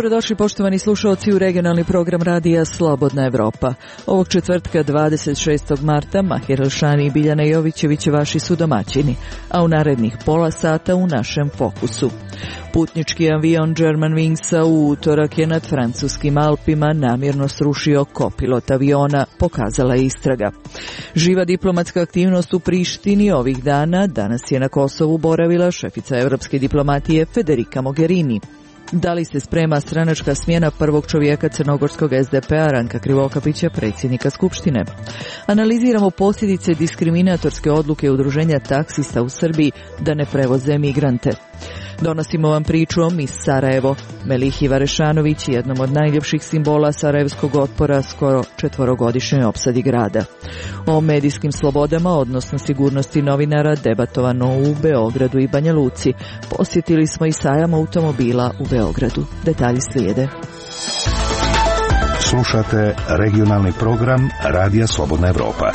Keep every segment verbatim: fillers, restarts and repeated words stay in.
Dobrodošli poštovani slušalci u regionalni program radija Slobodna Evropa. Ovog četvrtka dvadeset šestog marta Mahir Elšani i Biljana Jovićević vaši su domaćini, a u narednih pola sata u našem fokusu. Putnički avion Germanwingsa u utorak je nad francuskim Alpima namjerno srušio kopilot aviona, pokazala je istraga. Živa diplomatska aktivnost u Prištini ovih dana. Danas je na Kosovu boravila šefica evropske diplomatije Federica Mogherini. Da li se sprema stranačka smjena prvog čovjeka crnogorskog es de pe a Ranka Krivokapića, predsjednika Skupštine? Analiziramo posljedice diskriminatorske odluke udruženja taksista u Srbiji da ne prevoze migrante. Donosimo vam priču o Mis Sarajevo, Melihi Varešanović, jednom od najljepših simbola sarajevskog otpora skoro četvorogodišnjoj opsadi grada. O medijskim slobodama, odnosno sigurnosti novinara, debatovano u Beogradu i Banja Luci. Posjetili smo i sajam automobila u Beogradu. Detalji slijede. Slušate regionalni program Radija Slobodna Evropa.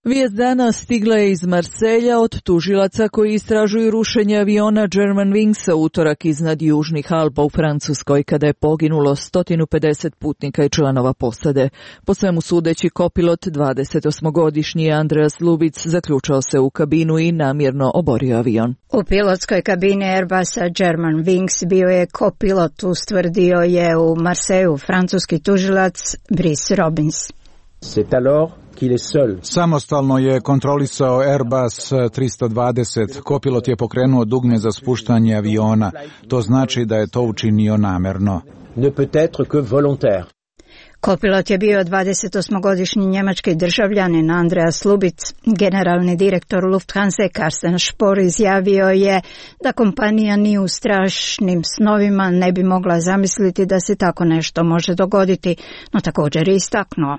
Vijest dana stigla je iz Marselja od tužilaca koji istražuju rušenje aviona Germanwingsa utorak iznad južnih Alpa u Francuskoj, kada je poginulo sto pedeset putnika i članova posade. Po svemu sudeći, kopilot dvadesetosmogodišnji Andreas Lubic zaključao se u kabinu i namjerno oborio avion. U pilotskoj kabini Airbusa Germanwings bio je kopilot, ustvrdio je u Marseju francuski tužilac Brice Robins. C'est alors Samostalno je kontrolisao Airbus tristo dvadeset. Kopilot je pokrenuo dugme za spuštanje aviona. To znači da je to učinio namerno. Ne peut être que volontaire. Kopilot je bio dvadesetosmogodišnji njemački državljanin Andreas Lubic. Generalni direktor Lufthansa Carsten Spohr izjavio je da kompanija ni u strašnim snovima ne bi mogla zamisliti da se tako nešto može dogoditi, no također je istaknuo.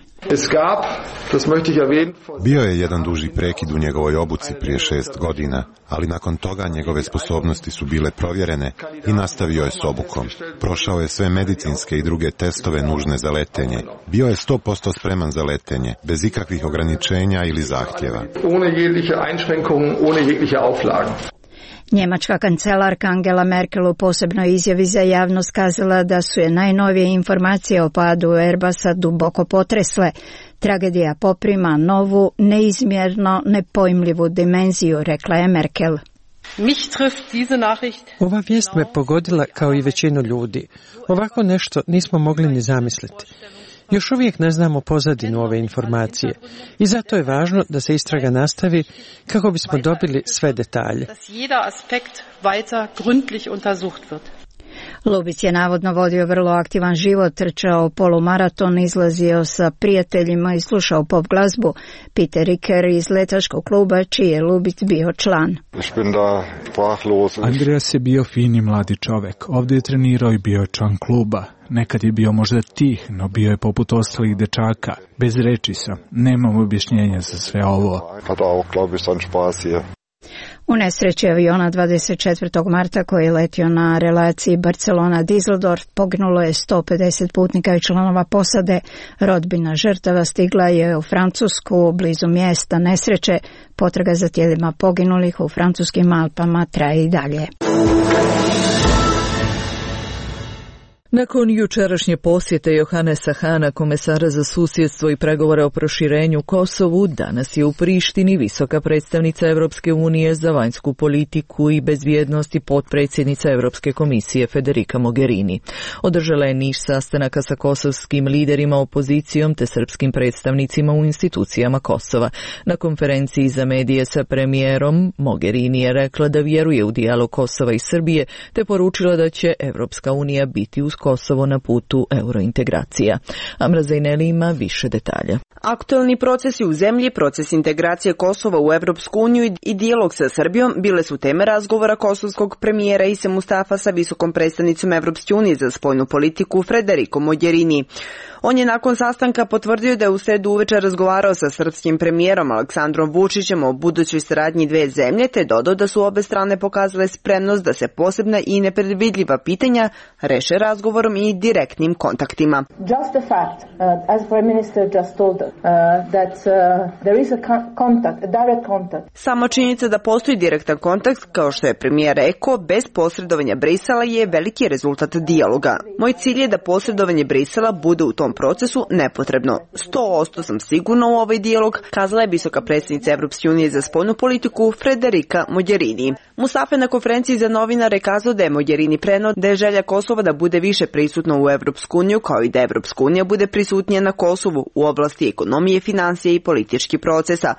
Bio je jedan duži prekid u njegovoj obuci prije šest godina, ali nakon toga njegove sposobnosti su bile provjerene i nastavio je s obukom. Prošao je sve medicinske i druge testove nužne za letenje. Bio je sto posto spreman za letenje, bez ikakvih ograničenja ili zahtjeva. Njemačka kancelarka Angela Merkel u posebnoj izjavi za javnost kazala da su je najnovije informacije o padu Airbusa duboko potresle. Tragedija poprima novu, neizmjerno nepojmljivu dimenziju, rekla je Merkel. Ova vijest me pogodila kao i većinu ljudi. Ovako nešto nismo mogli ni zamisliti. Još uvijek ne znamo pozadinu ove informacije i zato je važno da se istraga nastavi kako bismo dobili sve detalje. Lubic je navodno vodio vrlo aktivan život, trčao polumaraton, izlazio sa prijateljima i slušao pop glazbu. Peter Riker iz letaškog kluba, čiji je Lubic bio član. Andreas je bio fini mladi čovek. Ovdje je trenirao i bio je član kluba. Nekad je bio možda tih, no bio je poput ostalih dečaka. Bez reči sam. Nemam objašnjenja za sve ovo. U nesreći aviona dvadeset četvrtog marta koji je letio na relaciji Barcelona-Düsseldorf poginulo je sto pedeset putnika i članova posade. Rodbina žrtava stigla je u Francusku blizu mjesta nesreće. Potraga za tijelima poginulih u francuskim Alpama traje i dalje. Nakon jučerašnje posjete Johanesa Hana, komesara za susjedstvo i pregovore o proširenju Kosovu, danas je u Prištini visoka predstavnica Evropske unije za vanjsku politiku i bezbjednost i potpredsjednica Europske komisije Federica Mogherini. Održala je niz sastanaka sa kosovskim liderima, opozicijom te srpskim predstavnicima u institucijama Kosova. Na konferenciji za medije sa premijerom Mogherini je rekla da vjeruje u dijalog Kosova i Srbije te poručila da će Evropska unija biti uz Kosovo na putu eurointegracija. Amra Zajneli ima više detalja. Aktualni procesi u zemlji, proces integracije Kosova u Evropsku uniju i dijalog sa Srbijom bile su teme razgovora kosovskog premijera Ise Mustafa sa visokom predstavnicom Evropske unije za spoljnu politiku Federicom Mogherini. On je nakon sastanka potvrdio da je u sredu uveče razgovarao sa srpskim premijerom Aleksandrom Vučićem o budućoj saradnji dve zemlje, te dodao da su obe strane pokazale spremnost da se posebna i nepredvidljiva pitanja reše razgovorom i direktnim kontaktima. Just the fact, uh, as Prime Minister just told us, uh, that uh, there is a contact, a direct contact. Sama činjenica da postoji direktan kontakt, kao što je premijer rekao, bez posredovanja Brisela je veliki rezultat dijaloga. Moj cilj je da posredovanje Brisela bude u tom procesu nepotrebno. sto posto sam sigurna u ovaj dijalog, kazala je visoka predsjednica Evropske unije za spoljnu politiku Frederica Mogherini. Mustafa na konferenciji za novinare kazao da je Mogherini preneo da je želja Kosova da bude više prisutna u Evropsku uniju, kao i da Evropska unija bude prisutnija na Kosovu u oblasti ekonomije, financije i političkih procesa.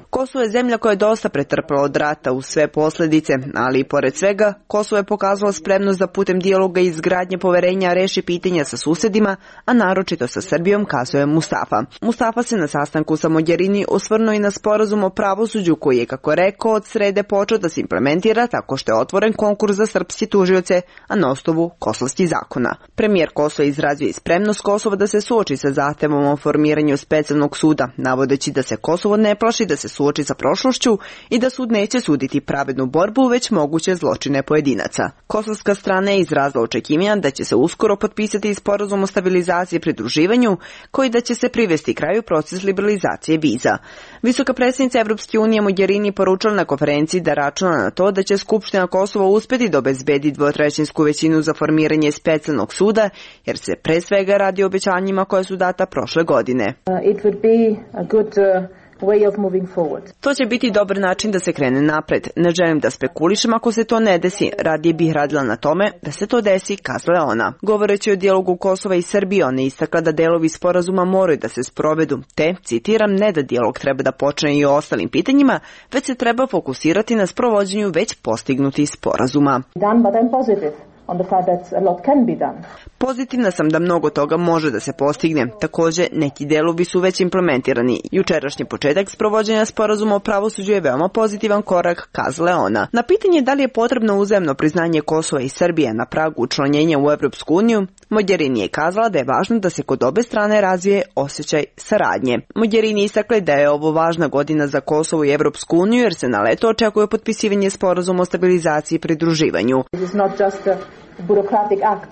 Kosovo je zemlja koja je dosta pretrpela od rata uz sve posljedice, ali i pored svega, Kosovo je pokazalo spremnost da putem dijaloga i izgradnje poverenja reši pitanja sa susedima, a naročito sa Srbijom, kazao je Mustafa. Mustafa se na sastanku sa Mogherini osvrnuo i na sporazum o pravosuđu koji je, kako rekao, od srede počeo da se implementira tako što je otvoren konkurs za srpske tužioce, a na osnovu kosovskih zakona. Premijer Kosova izrazio i spremnost Kosova da se suoči sa zahtevom o formiranju specijalnog suda, navodeći da se Kosovo ne plaši da se suoči sa prošlošću i da sud neće suditi pravednu borbu, već moguće zločine pojedinaca. Kosovska strana je izrazila očekivanja da će se uskoro potpisati sporazum o stabilizaciji i pridruživanju, koji da će se privesti kraju proces liberalizacije viza. Visoka predsjednica Evropske unije Mogherini poručila na konferenciji da računa na to da će Skupština Kosova uspjeti da obezbedi dvotrećinsku većinu za formiranje specijalnog suda, jer se pre svega radi o obećanjima koje su data prošle godine. Uh, it would be a good, uh... way of moving forward. To će biti dobar način da se krene napred. Ne želim da spekulišem ako se to ne desi. Radije bih radila na tome da se to desi, kazala je ona. Govoreći o dijalogu Kosova i Srbije, ona je istakla da delovi sporazuma moraju da se sprovedu, te, citiram, ne da dijalog treba da počne i o ostalim pitanjima, već se treba fokusirati na sprovođenju već postignutih sporazuma. Done, but I'm positive. On the fact that a lot can be done. Pozitivna sam da mnogo toga može da se postigne. Također, neki delovi su već implementirani. Jučerašnji početak sprovođenja sporazuma o pravosuđu je veoma pozitivan korak, kazala je ona. Na pitanje da li je potrebno uzajamno priznanje Kosova i Srbije na pragu učlanjenja u Evropsku uniju, Mogherini je kazala da je važno da se kod obe strane razvije osjećaj saradnje. Mogherini istakla da je ovo važna godina za Kosovo i Evropsku uniju, jer se na leto očekuje potpisivanje sporazuma o stabilizaciji i pridruživanju.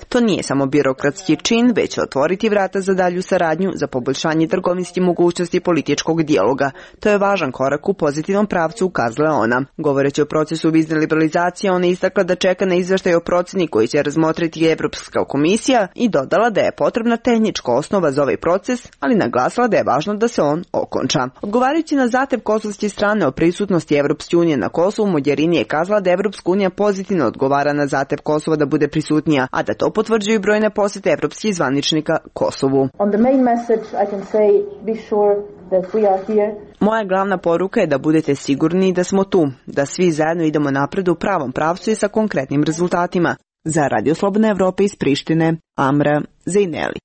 To nije samo birokratski čin, već će otvoriti vrata za dalju saradnju, za poboljšanje trgovinskih mogućnosti političkog dijaloga. To je važan korak u pozitivnom pravcu, ukazala je ona. Govoreći o procesu vizne liberalizacije, ona je istakla da čeka na izveštaj o proceni koji će razmotriti Evropska komisija i dodala da je potrebna tehnička osnova za ovaj proces, ali naglasila da je važno da se on okonča. Odgovarajući na zahtev kosovske strane o prisutnosti Evropske unije na Kosovu, Mogherini je kazala da Evropska unija pozitivno odgovara na zahtev Kosova da bude prisutnija, a da to potvrđuju brojne posjete evropskih zvaničnika Kosovu. On the main message I can say be sure that we are here. Moja glavna poruka je da budete sigurni da smo tu, da svi zajedno idemo napred u pravom pravcu i sa konkretnim rezultatima. Za Radio Slobodne Evrope iz Prištine, Amra Zejneli.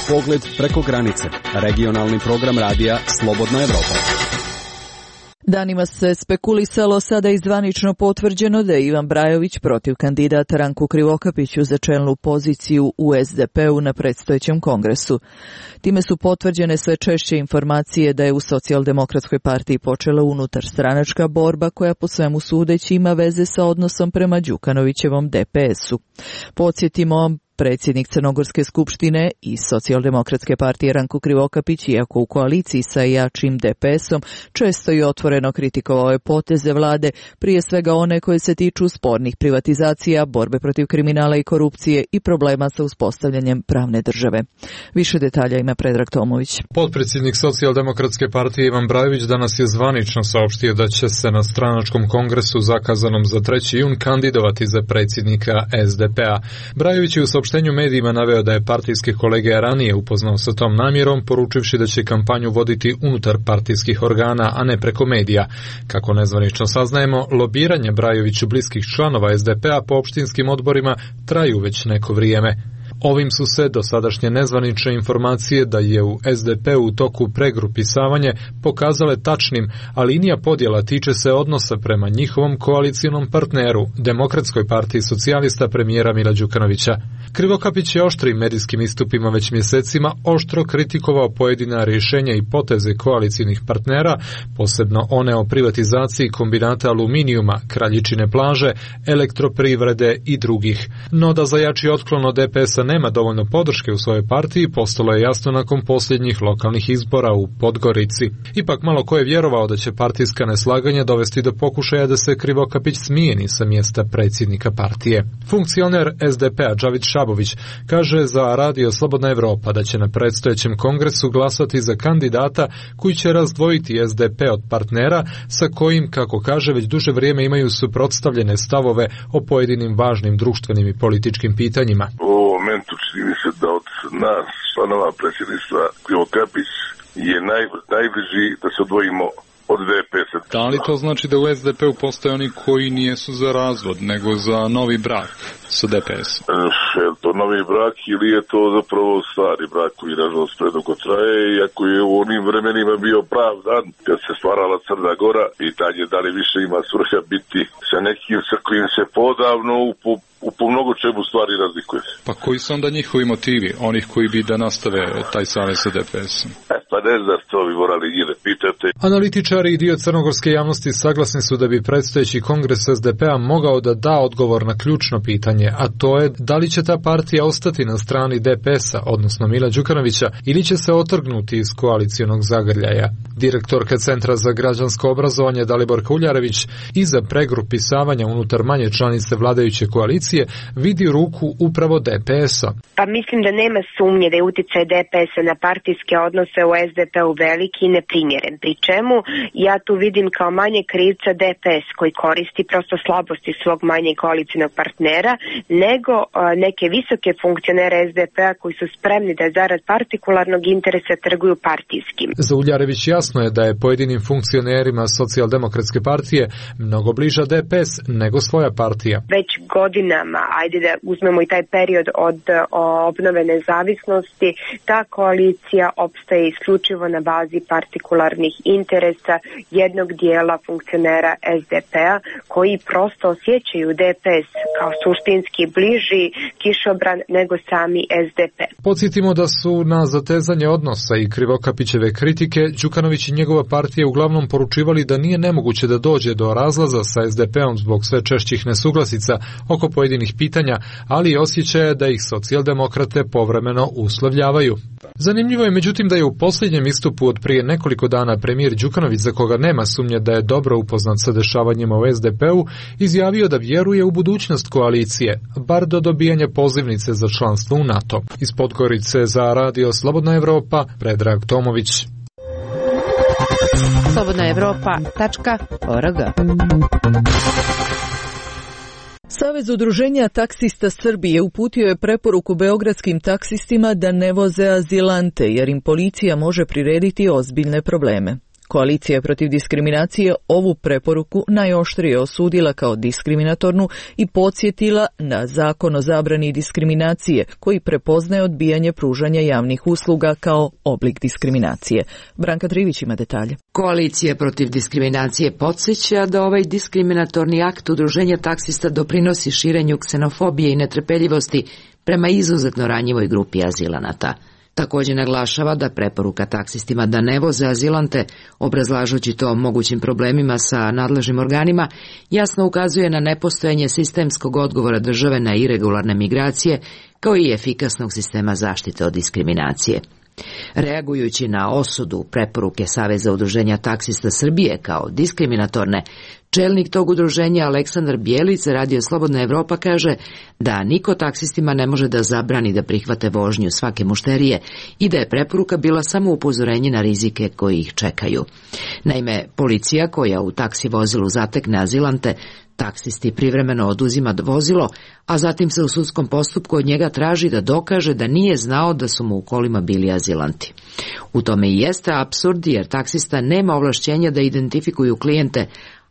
Pogled preko granice. Regionalni program radija Slobodna Evropa. Danima se spekulisalo, sada je zvanično potvrđeno da je Ivan Brajović protiv kandidata Ranku Krivokapiću za čelnu poziciju u es de pe-u na predstojećem kongresu. Time su potvrđene sve češće informacije da je u Socijaldemokratskoj partiji počela unutar stranačka borba koja po svemu sudeći ima veze sa odnosom prema Đukanovićevom de pe es-u. Podsjetimo, predsjednik Crnogorske skupštine i Socijaldemokratske partije Ranko Krivokapić, iako u koaliciji sa jačim de pe es-om, često i otvoreno kritikovao je poteze vlade, prije svega one koje se tiču spornih privatizacija, borbe protiv kriminala i korupcije i problema sa uspostavljanjem pravne države. Više detalja ima Predrag Tomović. Potpredsjednik Socijaldemokratske partije Ivan Brajović danas je zvanično saopštio da će se na stranačkom kongresu zakazanom za treći jun kandidovati za predsjednika es de pe-a. Brajović je u saopštenju medijima naveo da je partijske kolege ranije upoznao sa tom namjerom, poručivši da će kampanju voditi unutar partijskih organa, a ne preko medija. Kako nezvanično saznajemo, lobiranje Brajoviću bliskih članova es de pe-a po opštinskim odborima traju već neko vrijeme. Ovim su se dosadašnje nezvanične informacije da je u es de pe u toku pregrupisavanje pokazale tačnim, a linija podjela tiče se odnosa prema njihovom koalicijonom partneru, Demokratskoj partiji socijalista premijera Mila Đukanovića. Krivokapić je oštrim medijskim istupima već mjesecima oštro kritikovao pojedina rješenja i poteze koalicijnih partnera, posebno one o privatizaciji kombinata aluminijuma, Kraljičine plaže, elektroprivrede i drugih. No da za jači otklon od de pe es-a nema dovoljno podrške u svojoj partiji, postalo je jasno nakon posljednjih lokalnih izbora u Podgorici. Ipak malo ko je vjerovao da će partijska neslaganja dovesti do pokušaja da se Krivokapić smijeni sa mjesta predsjednika partije. Funkcioner es de pe-a Džavid Šabović kaže za Radio Slobodna Evropa da će na predstojećem kongresu glasati za kandidata koji će razdvojiti es de pe od partnera sa kojim, kako kaže, već duže vrijeme imaju suprotstavljene stavove o pojedinim važnim društvenim i političkim pitanjima. U ovom momentu čini mi se da od nas, članova predsjedništva, Krivokapić je naj, najbliži da se odvojimo od de pe es-a. Da li to znači da u es de pe-u postoje oni koji nijesu za razvod, nego za novi brak sa de pe es-om? Je to novi brak ili je to zapravo stari brak koji nažalost predugo traje, iako je u onim vremenima bio prav dan kad se stvarala Crna Gora, i tad je da li više ima svrha biti sa nekim sa kojim se podavno u po u po mnogo čemu stvari razlikuje. Pa koji su onda njihovi motivi, onih koji bi da nastave taj savez sa de pe es-om? E, pa ne znam, to bi morali njih da pitate. Analitičari i dio crnogorske javnosti saglasni su da bi predstojeći kongres es de pe-a mogao da da odgovor na ključno pitanje, a to je da li će ta partija ostati na strani de pe es-a, odnosno Mila Đukanovića, ili će se otrgnuti iz koalicijonog zagrljaja. Direktorka Centra za građansko obrazovanje Daliborka Uljarević iza pregrupisavanja unutar manje članice vladajuće koalicije vidi ruku upravo de pe es-a. Pa mislim da nema sumnje da je utjecaj de pe es-a na partijske odnose u es de pe-u veliki i neprimjeren. Pri čemu ja tu vidim kao manje krivca de pe es koji koristi prosto slabosti svog manje koalicijnog partnera, nego a, neke visoke funkcionere es de pe-a koji su spremni da zarad partikularnog interesa trguju partijskim. Za Uljarević jasno je da je pojedinim funkcionerima Socijaldemokratske partije mnogo bliža de pe es nego svoja partija. Već godina ajde da uzmemo i taj period od obnove nezavisnosti, ta koalicija opstaje isključivo na bazi partikularnih interesa jednog dijela funkcionera es de pe-a koji prosto osjećaju de pe es kao suštinski bliži kišobran nego sami es de pe. Podsjetimo da su na zatezanje odnosa i Krivokapićeve kritike Đukanović i njegova partija uglavnom poručivali da nije nemoguće da dođe do razlaza sa es de pe-om zbog sve češćih nesuglasica oko pojedinih pitanja, ali i osjećaja da ih socijaldemokrate povremeno uslovljavaju. Zanimljivo je međutim da je u posljednjem istupu od prije nekoliko dana premijer Đukanović, za koga nema sumnje da je dobro upoznat sa dešavanjima u es de pe-u, izjavio da vjeruje u budućnost koalicije, bar do dobijanja pozivnice za članstvo u NATO. Iz Podgorice za Radio Slobodna Evropa, Predrag Tomović. slobodna evropa tačka org. Savez udruženja taksista Srbije uputio je preporuku beogradskim taksistima da ne voze azilante, jer im policija može prirediti ozbiljne probleme. Koalicija protiv diskriminacije ovu preporuku najoštrije osudila kao diskriminatornu i podsjetila na zakon o zabrani diskriminacije, koji prepoznaje odbijanje pružanja javnih usluga kao oblik diskriminacije. Branka Trivić ima detalje. Koalicija protiv diskriminacije podsjeća da ovaj diskriminatorni akt udruženja taksista doprinosi širenju ksenofobije i netrpeljivosti prema izuzetno ranjivoj grupi azilanata. Također naglašava da preporuka taksistima da ne voze azilante, obrazlažući to mogućim problemima sa nadležnim organima, jasno ukazuje na nepostojanje sistemskog odgovora države na iregularne migracije, kao i efikasnog sistema zaštite od diskriminacije. Reagujući na osudu preporuke Saveza udruženja taksista Srbije kao diskriminatorne, čelnik tog udruženja Aleksandar Bijelić Radio Slobodna Evropa kaže da niko taksistima ne može da zabrani da prihvate vožnju svake mušterije i da je preporuka bila samo upozorenje na rizike koji ih čekaju. Naime, policija koja u taksi vozilu zatekne azilante, taksisti privremeno oduzima vozilo, a zatim se u sudskom postupku od njega traži da dokaže da nije znao da su mu u kolima bili azilanti. U tome i jeste apsurd, jer taksista nema ovlašćenja da identifikuju klijente,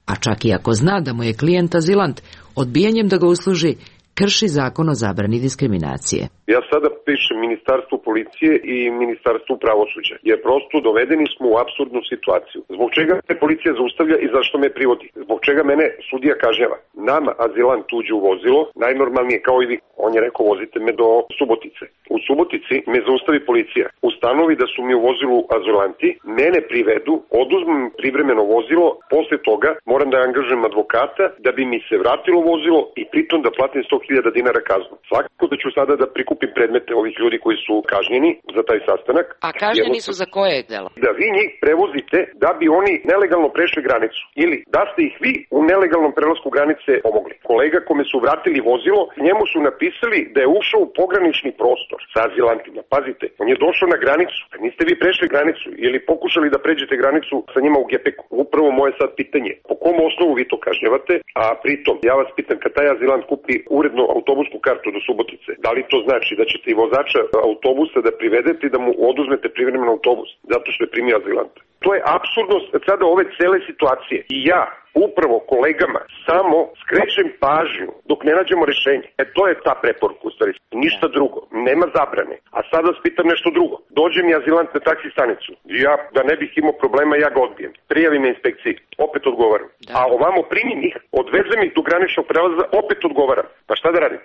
a čak i ako zna da mu je klijent azilant, odbijanjem da ga usluži krši zakon o zabrani diskriminacije. Ja sada pišem Ministarstvu policije i Ministarstvu pravosuđa, jer prosto dovedeni smo u apsurdnu situaciju. Zbog čega me policija zaustavlja i zašto me privodi? Zbog čega mene sudija kažnjava? Nama azilant uđe u vozilo, najnormalnije kao i vi. On je rekao vozite me do Subotice. U Subotici me zaustavi policija. Ustanovi da su mi u vozilu azilanti, mene privedu, oduzmem privremeno vozilo, posle toga moram da angažujem advokata da bi mi se vratilo vozilo i pritom da platim sto hiljada dinara kaznu. Svakako da ću sada da prikupim predmete ovih ljudi koji su kažnjeni za taj sastanak. A kažnjeni su za koje delo? Da vi njih prevozite da bi oni nelegalno prešli granicu ili da ste ih vi u nelegalnom prelasku granice pomogli. Kolega kome su vratili vozilo, njemu su napisali da je ušao u pogranični prostor sa azilantima. Pazite, on je došao na granicu, a niste vi prešli granicu ili pokušali da pređete granicu sa njima u gepeku. Upravo moje sad pitanje, po kom osnovu vi to kažnjavate, a pritom ja vas pitam kad taj azilant kupi uredno autobusku kartu do Subotice, da li to znači da ćete i vozača autobusa da privedete i da mu oduzmete privremeno autobus zato što je primio azilanta? To je apsurdnost sada ove cele situacije i ja upravo kolegama samo skrećem pažnju dok ne nađemo rešenje. E to je ta preporuka u stvari. Ništa drugo. Nema zabrane. A sad vas pitam nešto drugo. Dođe mi azilant na taksi stanicu. Ja, da ne bih imao problema, ja ga odbijem. Prijavim me inspekciji. Opet odgovaram. Da. A ovamo primim ih, odvezem ih do graničnog prelaza, opet odgovaram. Pa šta da radim?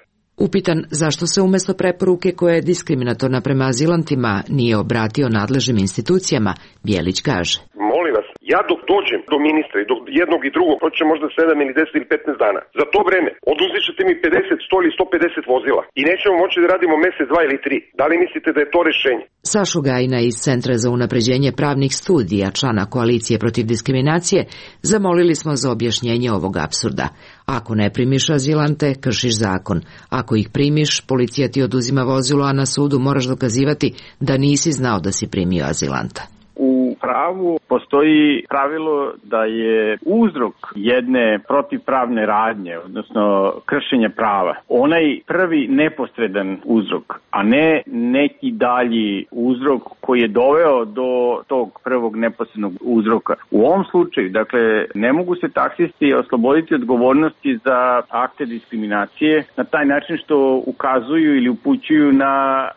Upitan zašto se umesto preporuke koja je diskriminatorna prema azilantima nije obratio nadležnim institucijama, Bjelić kaže. Molim vas, ja dok dođem do ministra i do jednog i drugog, proće možda sedam ili deset ili petnaest dana. Za to vreme oduzet ćete mi pedeset, sto ili sto pedeset vozila i nećemo moći da radimo mesec, dva ili tri. Da li mislite da je to rešenje? Sašu Gajina iz Centra za unapređenje pravnih studija, člana koalicije protiv diskriminacije, zamolili smo za objašnjenje ovog apsurda. Ako ne primiš azilante, kršiš zakon. Ako ih primiš, policija ti oduzima vozilo, a na sudu moraš dokazivati da nisi znao da si primio azilanta. U pravu postoji pravilo da je uzrok jedne protivpravne radnje, odnosno kršenja prava, onaj prvi neposredan uzrok, a ne neki dalji uzrok koji je doveo do tog prvog neposrednog uzroka. U ovom slučaju, dakle, ne mogu se taksisti osloboditi odgovornosti za akte diskriminacije na taj način što ukazuju ili upućuju na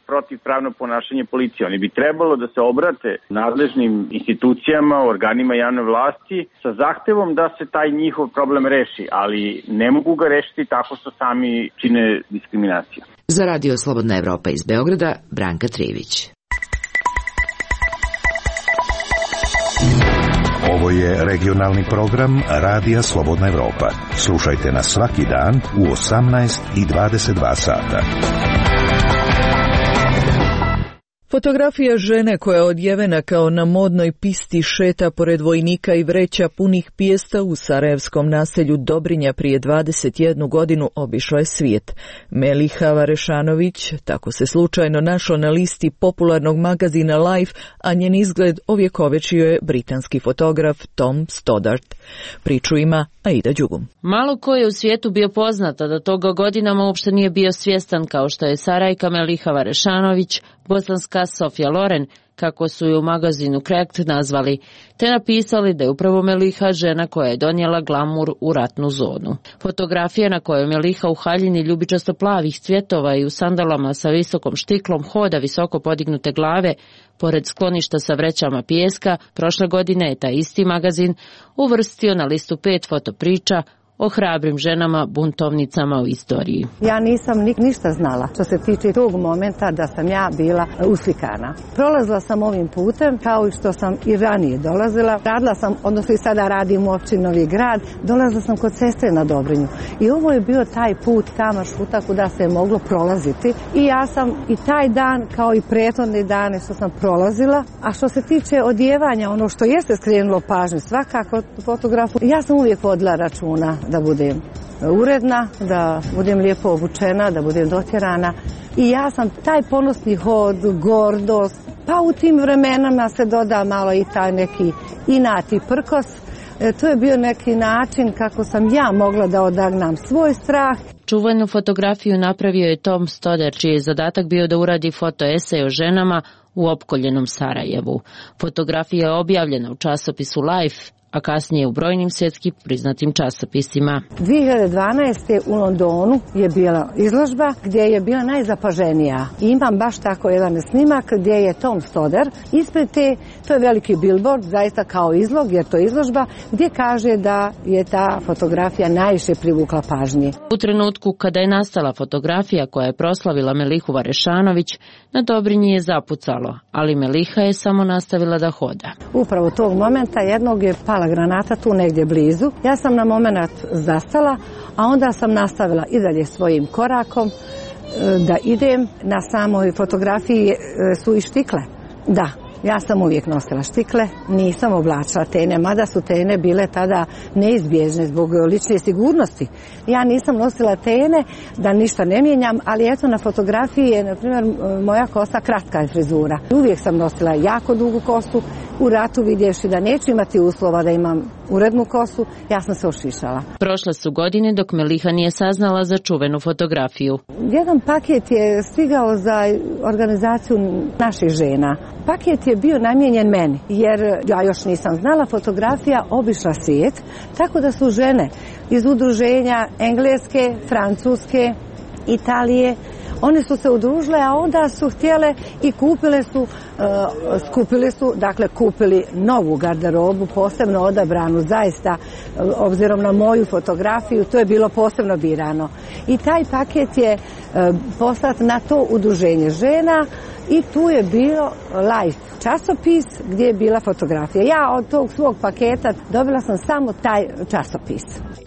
protivpravno ponašanje policije. Oni bi trebalo da se obrate nadležnim institucijama, organima javne vlasti sa zahtevom da se taj njihov problem reši, ali ne mogu ga rešiti tako što sami čine diskriminaciju. Za Radio Slobodna Evropa iz Beograda, Branka Trivić. Ovo je regionalni program Radija Slobodna Evropa. Slušajte nas svaki dan u osamnaest i dvadeset dva sata. Fotografija žene koja je odjevena kao na modnoj pisti šeta pored vojnika i vreća punih pijesta u sarajevskom naselju Dobrinja prije dvadeset jednu godinu obišla je svijet. Meliha Varešanović tako se slučajno našla na listi popularnog magazina Life, a njen izgled ovjekovečio je britanski fotograf Tom Stoddart. Priču ima Aida Đugum. Malo ko je u svijetu bio poznata da toga godinama uopšte nije bio svjestan kao što je Sarajka Meliha Varešanović, bosanska Sofia Loren, kako su je u magazinu Cracked nazvali, te napisali da je upravo Meliha žena koja je donijela glamur u ratnu zonu. Fotografija na kojoj Meliha u haljini ljubičasto plavih cvjetova i u sandalama sa visokom štiklom hoda visoko podignute glave, pored skloništa sa vrećama pijeska, prošle godine je taj isti magazin uvrstio na listu pet fotopriča o hrabrim ženama buntovnicama u istoriji. Ja nisam ni, ništa znala što se tiče tog momenta da sam ja bila uslikana. Prolazila sam ovim putem kao i što sam i ranije dolazila. Radila sam, odnosno i sada radim u općini Novi Grad, dolazila sam kod sestre na Dobrinju. I ovo je bio taj put tamo šuta kuda se je moglo prolaziti. I ja sam i taj dan kao i prethodne dane što sam prolazila. A što se tiče odjevanja, ono što jeste skrenulo pažnju svakako fotografu, ja sam uvijek vodila računa da budem uredna, da budem lijepo obučena, da budem dotjerana. I ja sam taj ponosni hod, gordost, pa u tim vremenama se doda malo i taj neki inat i prkos. E, to je bio neki način kako sam ja mogla da odagnam svoj strah. Čuvenu fotografiju napravio je Tom Stoddart, čiji je zadatak bio da uradi fotoesej o ženama u opkoljenom Sarajevu. Fotografija je objavljena u časopisu Life, a kasnije u brojnim svjetski priznatim časopisima. dvije hiljade dvanaeste. u Londonu je bila izložba gdje je bila najzapaženija. I imam baš tako jedan snimak gdje je Tom Stoddard ispred te, to je veliki billboard, zaista kao izlog, jer to je izložba, gdje kaže da je ta fotografija najviše privukla pažnje. U trenutku kada je nastala fotografija koja je proslavila Melihu Varešanović, na Dobrinji je zapucalo, ali Meliha je samo nastavila da hoda. Upravo tog momenta jednog je pala granata tu negdje blizu. Ja sam na moment zastala, a onda sam nastavila i dalje svojim korakom da idem. Na samoj fotografiji su i štikle. Da, ja sam uvijek nosila štikle, nisam oblačila tene, mada su tene bile tada neizbježne zbog lične sigurnosti. Ja nisam nosila tene da ništa ne mijenjam, ali eto na fotografiji je, na primjer, moja kosa kratka je frizura. Uvijek sam nosila jako dugu kosu, u ratu vidjevši da neću imati uslova da imam urednu kosu, ja sam se ošišala. Prošle su godine dok Meliha nije saznala za čuvenu fotografiju. Jedan paket je stigao za organizaciju naših žena. Paket je bio namijenjen meni, jer ja još nisam znala, fotografija obišla svijet, tako da su žene iz udruženja Engleske, Francuske, Italije, one su se udružile, a onda su htjele i kupile su, uh, skupili su, dakle kupili novu garderobu, posebno odabranu, zaista, uh, obzirom na moju fotografiju, to je bilo posebno birano. I taj paket je uh, poslat na to udruženje žena i tu je bilo Life časopis gdje je bila fotografija. Ja od tog svog paketa dobila sam samo taj časopis.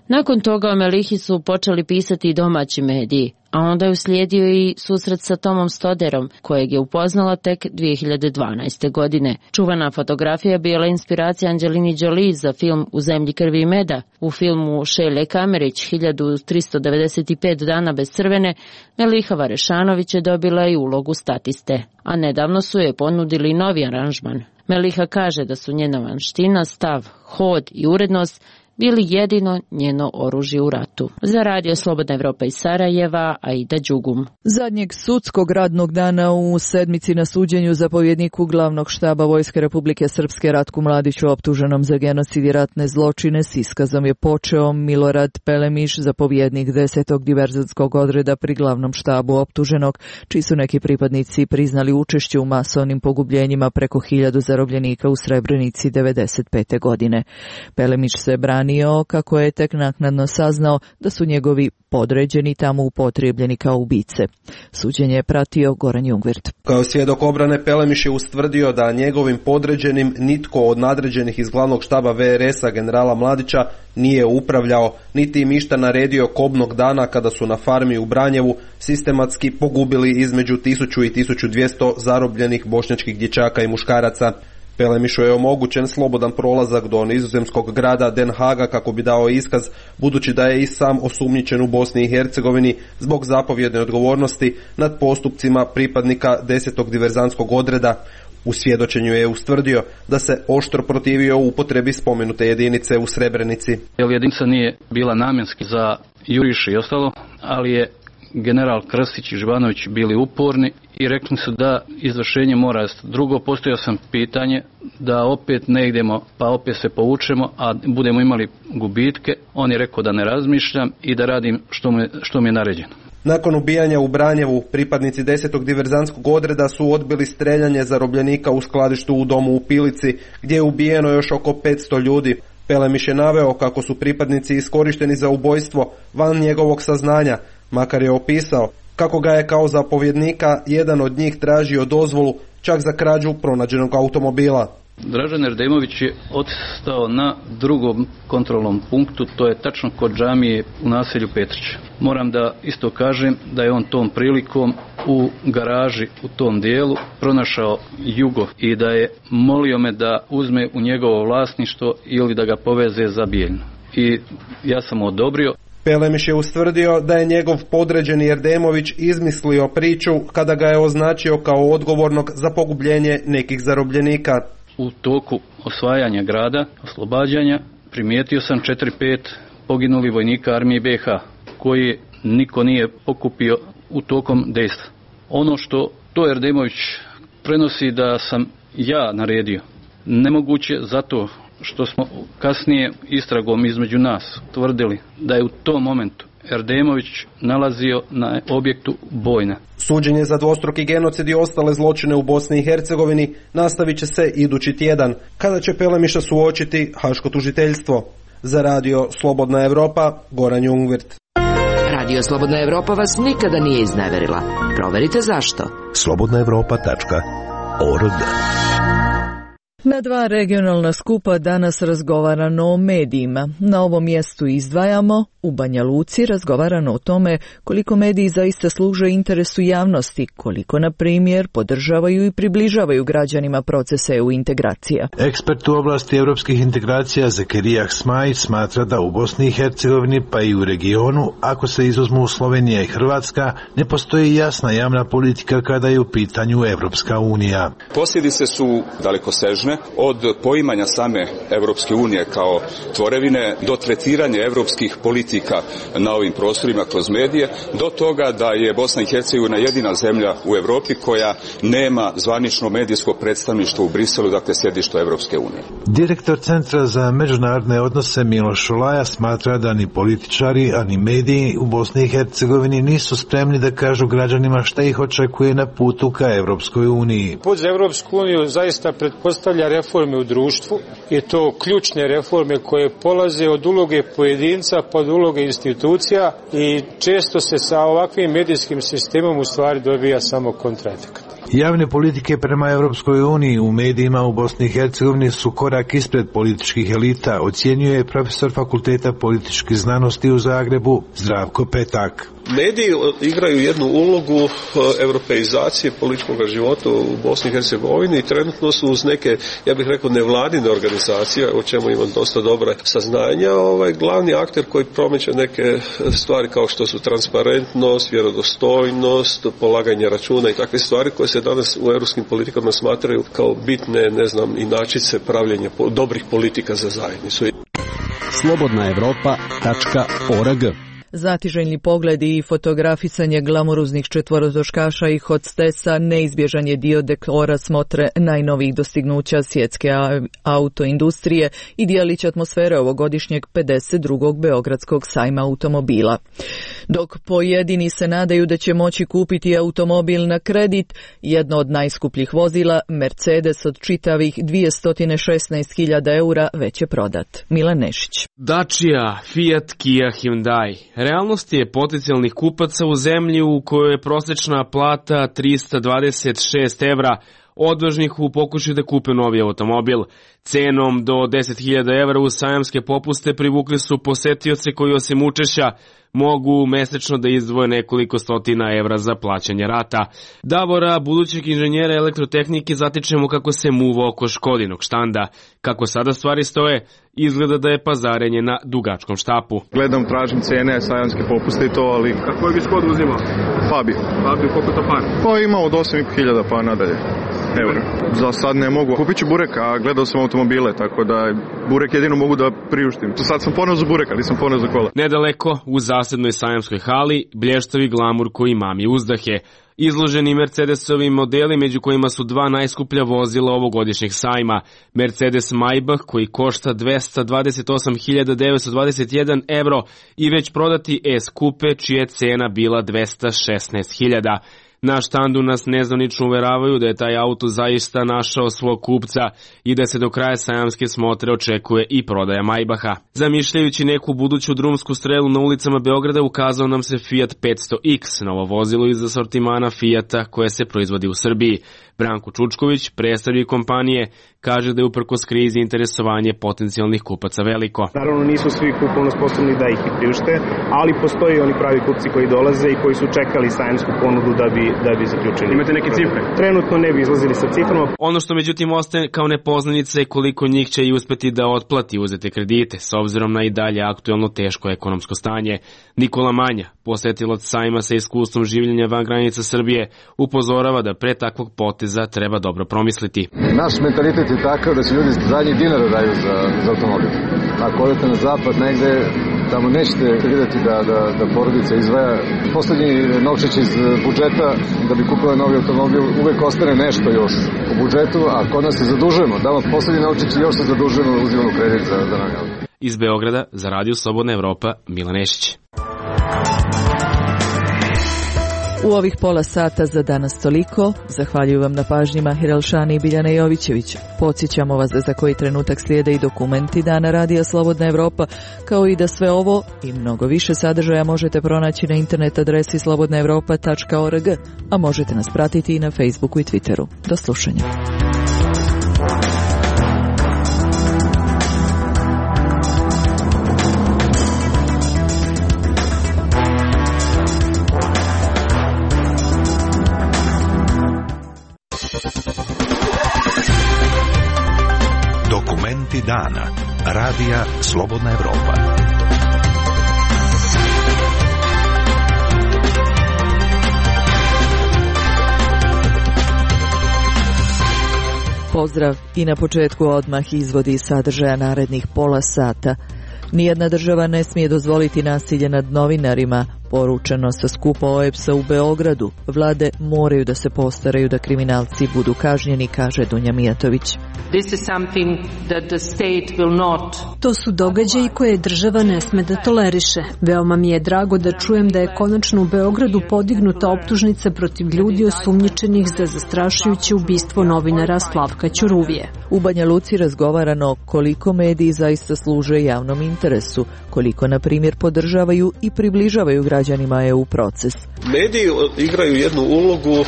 Nakon toga o Melihi su počeli pisati i domaći mediji, a onda je uslijedio i susret sa Tomom Stodderom, kojeg je upoznala tek dvije hiljade dvanaeste. godine. Čuvana fotografija bila inspiracija Angelini Jolie za film U zemlji krvi i meda. U filmu Šelje Kamerić hiljadu tristo devedeset pet dana bez crvene, Meliha Varešanović je dobila i ulogu statiste, a nedavno su je ponudili novi aranžman. Meliha kaže da su njena vanština, stav, hod i urednost bili jedino njeno oružje u ratu. Za Radio Slobodna Evropa iz Sarajeva, Aida Đugum. Zadnjeg sudskog radnog dana u sedmici na suđenju zapovjedniku glavnog štaba Vojske Republike Srpske Ratku Mladiću optuženom za genocid i ratne zločine s iskazom je počeo Milorad Pelemiš, zapovjednik desetog diverzantskog odreda pri glavnom štabu optuženog, čiji su neki pripadnici priznali učešće u masovnim pogubljenjima preko hiljadu zarobljenika u Srebrenici devedeset pete. godine. Pelemiš se brani kako je tek naknadno saznao da su njegovi podređeni tamo upotrijebljeni kao ubice. Suđenje je pratio Goran Jungwirth. Kao svjedok obrane Pelemiš je ustvrdio da njegovim podređenim nitko od nadređenih iz glavnog štaba ve er es a generala Mladića nije upravljao, niti im išta naredio kobnog dana kada su na farmi u Branjevu sistematski pogubili između tisuću i tisuću dvjesto zarobljenih bošnjačkih dječaka i muškaraca. Pelemišu je omogućen slobodan prolazak do nizozemskog grada Den Haga kako bi dao iskaz, budući da je i sam osumnjičen u Bosni i Hercegovini zbog zapovjedne odgovornosti nad postupcima pripadnika desetog diverzantskog odreda. U svjedočenju je ustvrdio da se oštro protivio upotrebi spomenute jedinice u Srebrenici. Jedinica nije bila namjenski za juriše i ostalo, ali je general Krstić i Živanović bili uporni i rekli su da izvršenje mora rasti. Drugo, postavio sam pitanje da opet ne idemo pa opet se povučemo, a budemo imali gubitke. On je rekao da ne razmišljam i da radim što mi, što mi je naređeno. Nakon ubijanja u Branjevu, pripadnici desetog diverzantskog odreda su odbili streljanje zarobljenika u skladištu u domu u Pilici, gdje je ubijeno još oko petsto ljudi. Pelemiš je naveo kako su pripadnici iskorišteni za ubojstvo van njegovog saznanja, makar je opisao kako ga je kao zapovjednika jedan od njih tražio dozvolu čak za krađu pronađenog automobila. Dražen Erdemović je odstao na drugom kontrolnom punktu, to je tačno kod džamije u naselju Petrić. Moram da isto kažem da je on tom prilikom u garaži u tom dijelu pronašao jugo i da je molio me da uzme u njegovo vlasništvo ili da ga poveze za Bijeljnu. I ja sam odobrio. Pelemiš je ustvrdio da je njegov podređeni Erdemović izmislio priču kada ga je označio kao odgovornog za pogubljenje nekih zarobljenika. U toku osvajanja grada, oslobađanja, primijetio sam četiri pet poginuli vojnika armije be ha, koji niko nije pokupio u tokom dejstva. Ono što to Erdemović prenosi da sam ja naredio, nemoguće zato što smo kasnije istragom između nas tvrdili da je u tom momentu Erdemović nalazio na objektu Bojna. Suđenje za dvostruki genocid i ostale zločine u Bosni i Hercegovini nastavit će se idući tjedan, kada će Pelemiša suočiti haško tužiteljstvo. Za radio Slobodna Evropa, Goran Jungvirt. Radio Slobodna Evropa vas nikada nije izneverila. Proverite zašto. slobodna evropa tačka org. Na dva regionalna skupa danas razgovarano o medijima. Na ovom mjestu izdvajamo, u Banja Luci razgovarano o tome koliko mediji zaista služe interesu javnosti, koliko, na primjer, podržavaju i približavaju građanima procese E U integracija. Ekspert u oblasti europskih integracija Zekerijah Smajić smatra da u Bosni i Hercegovini pa i u regionu, ako se izuzmu Slovenija i Hrvatska, ne postoji jasna javna politika kada je u pitanju Evropska unija. Posljedice su dalekosežne, od poimanja same Evropske unije kao tvorevine do tretiranja evropskih politika na ovim prostorima kroz medije, do toga da je Bosna i Hercegovina jedina zemlja u Europi koja nema zvanično medijsko predstavništvo u Briselu, dakle sjedište Evropske unije. Direktor Centra za međunarodne odnose Miloš Šolaja smatra da ni političari, a ni mediji u Bosni i Hercegovini nisu spremni da kažu građanima šta ih očekuje na putu ka Evropskoj uniji. Put za Evropsku uniju zaista pretpostavlja reforme u društvu i to ključne reforme koje polaze od uloge pojedinca pa od uloge institucija i često se sa ovakvim medijskim sistemom u stvari dobija samo kontraefekat. Javne politike prema Evropskoj uniji u medijima u Bosni i Hercegovini su korak ispred političkih elita, ocjenjuje profesor Fakulteta političkih znanosti u Zagrebu Zdravko Petak. Mediji igraju jednu ulogu europeizacije političkog života u Bosni i Hercegovini i trenutno su uz neke, ja bih rekao, nevladine organizacije, o čemu imam dosta dobra saznanja, ovaj glavni akter koji promiče neke stvari kao što su transparentnost, vjerodostojnost, polaganje računa i takve stvari koje se danas u europskim politikama smatraju kao bitne, ne znam, inačice pravljenja dobrih politika za zajednicu. slobodna evropa tačka org. Zatiželjni pogledi i fotografisanje glamuruznih četvorotočkaša i hostesa neizbježan je dio dekora smotre najnovijih dostignuća svjetske autoindustrije i dijelić atmosfere ovogodišnjeg pedeset drugog Beogradskog sajma automobila. Dok pojedini se nadaju da će moći kupiti automobil na kredit, jedno od najskupljih vozila, Mercedes od čitavih dvjesto šesnaest hiljada eura, već je prodat. Milan Nešić. Dacia, Fiat, Kia, Hyundai. Realnost je potencijalnih kupaca u zemlji u kojoj je prosječna plata trista dvadeset šest evra, odvažnih u pokušaju da kupe novi automobil. Cenom do deset hiljada evra u sajamske popuste privukli su posetioce koji osim učešća mogu mesečno da izdvoje nekoliko stotina evra za plaćanje rata. Davora, budućeg inženjera elektrotehnike, zatičemo kako se muva oko Škodinog štanda. Kako sada stvari stoje, izgleda da je pazarenje na dugačkom štapu. Gledam, tražim cene, sajamske popuste i to, ali... A koji bi Škodu uzimao? Fabio. Fabio, koliko to par? Pa ima od osam hiljada pa nadalje. Evo, za sad ne mogu. Kupit ću burek, a gledao sam automobile, tako da burek jedino mogu da priuštim. Sad sam poneo za burek, ali nisam poneo za kola. Nedaleko, u zasednoj sajamskoj hali, blještavi glamur koji mami uzdahe. Izloženi Mercedesovi modeli, među kojima su dva najskuplja vozila ovogodišnjeg sajma. Mercedes Maybach koji košta dvesta dvadeset osam hiljada devetsto dvadeset jedan evro i već prodati S-Coupe čija je cena bila dvesta šesnaest hiljada. Na štandu nas nezvanično uveravaju da je taj auto zaista našao svog kupca i da se do kraja sajamske smotre očekuje i prodaja Maybacha. Zamišljajući neku buduću drumsku strelu na ulicama Beograda, ukazao nam se Fiat petsto X, novo vozilo iz asortimana Fiata koje se proizvodi u Srbiji. Branko Čučković, predstavnik kompanije, kaže da je uprkos krizi interesovanje potencijalnih kupaca veliko. Naravno nisu svi kupovno sposobni da ih i priušte, ali postoji oni pravi kupci koji dolaze i koji su čekali sajamsku ponudu da bi, da bi zaključili. Imate neke cifre? Trenutno ne bi izlazili sa ciframa. Ono što međutim ostaje kao nepoznanica je koliko njih će i uspeti da otplati uzete kredite, s obzirom na i dalje aktuelno teško ekonomsko stanje. Nikola Manja, posetilac sajma sa iskustvom življenja van granica Srbije, upozorava da pre takvog poteza treba dobro promisliti. Naš mentalitet je takav da se ljudi zadnji dinara daju za, za automobil. Ako odete na zapad negde, Tamo nećete vidjeti da, da, da porodica izdvaja poslednji novčić iz budžeta da bi kupila novi automobil, uvek ostane nešto još u budžetu, a kod nas se zadužujemo, damo poslednji novčić i još se zadužujemo, uzimamo kredit za, za novi auto. Iz Beograda za Radio Slobodna Evropa, Milan Nešić. U ovih pola sata za danas toliko. Zahvaljujem vam na pažnji Mahir Elšani i Biljana Jovićević. Podsjećamo vas da za koji trenutak slijede i dokumenti Dana Radija Slobodna Evropa, kao i da sve ovo i mnogo više sadržaja možete pronaći na internet adresi slobodna evropa tačka org, a možete nas pratiti i na Facebooku i Twitteru. Do slušanja. Dokumenti dana. Radija Slobodna Evropa. Pozdrav i na početku odmah izvodi sadržaja narednih pola sata. Nijedna država ne smije dozvoliti nasilje nad novinarima, poručeno sa skupa O E B S-a u Beogradu. Vlade moraju da se postaraju da kriminalci budu kažnjeni, kaže Dunja Mijatović. This is something that the state will not. To su događaji koje država ne sme da toleriše. Veoma mi je drago da čujem da je konačno u Beogradu podignuta optužnica protiv ljudi osumnjičenih za zastrašujuće ubistvo novinara Slavka Ćuruvije. U Banja Luci razgovarano koliko mediji zaista služe javnom interesu, koliko, na primjer, podržavaju i približavaju građanima E U proces. Mediji igraju jednu ulogu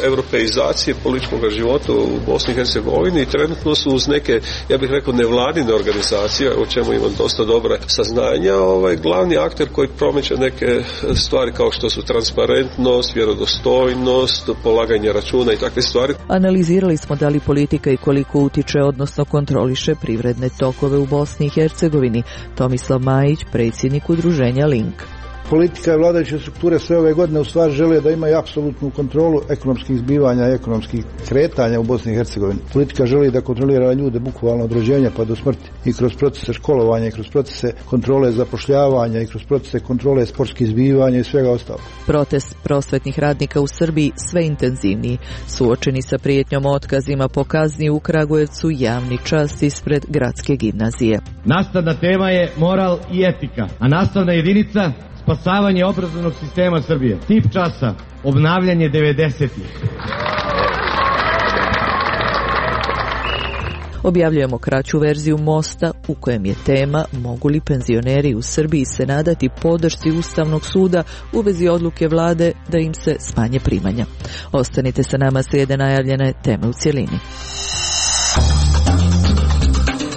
europeizacije političkog života u Bosni i Hercegovini i trenutno su uz neke, ja bih rekao, nevladine organizacije, o čemu imam dosta dobra saznanja, ovaj glavni akter koji promiče neke stvari kao što su transparentnost, vjerodostojnost, polaganje računa i takve stvari. Analizirali smo da li politika i koliko utiče, odnosno kontroliše privredne tokove u Bosni i Hercegovini. Tomislav Majić, predsjednik udruženja Link. Politika i vladajuće strukture sve ove godine u stvari žele da imaju apsolutnu kontrolu ekonomskih zbivanja i ekonomskih kretanja u Bosni i Hercegovini. Politika želi da kontrolira ljude bukvalno od rođenja pa do smrti i kroz procese školovanja i kroz procese kontrole zapošljavanja i kroz procese kontrole sportskih zbivanja i svega ostalog. Protest prosvetnih radnika u Srbiji sve intenzivniji. Suočeni sa prijetnjom otkazima po kazni u Kragujevcu, javni čas ispred gradske gimnazije. Nastavna tema je moral i etika, a nastavna jedinica spasavanje obrazovnog sistema Srbije. Tip časa, obnavljanje devedesetih. Objavljujemo kraću verziju Mosta u kojem je tema mogu li penzioneri u Srbiji se nadati podršci Ustavnog suda u vezi odluke vlade da im se smanje primanja. Ostanite sa nama, slijede najavljene teme u cjelini.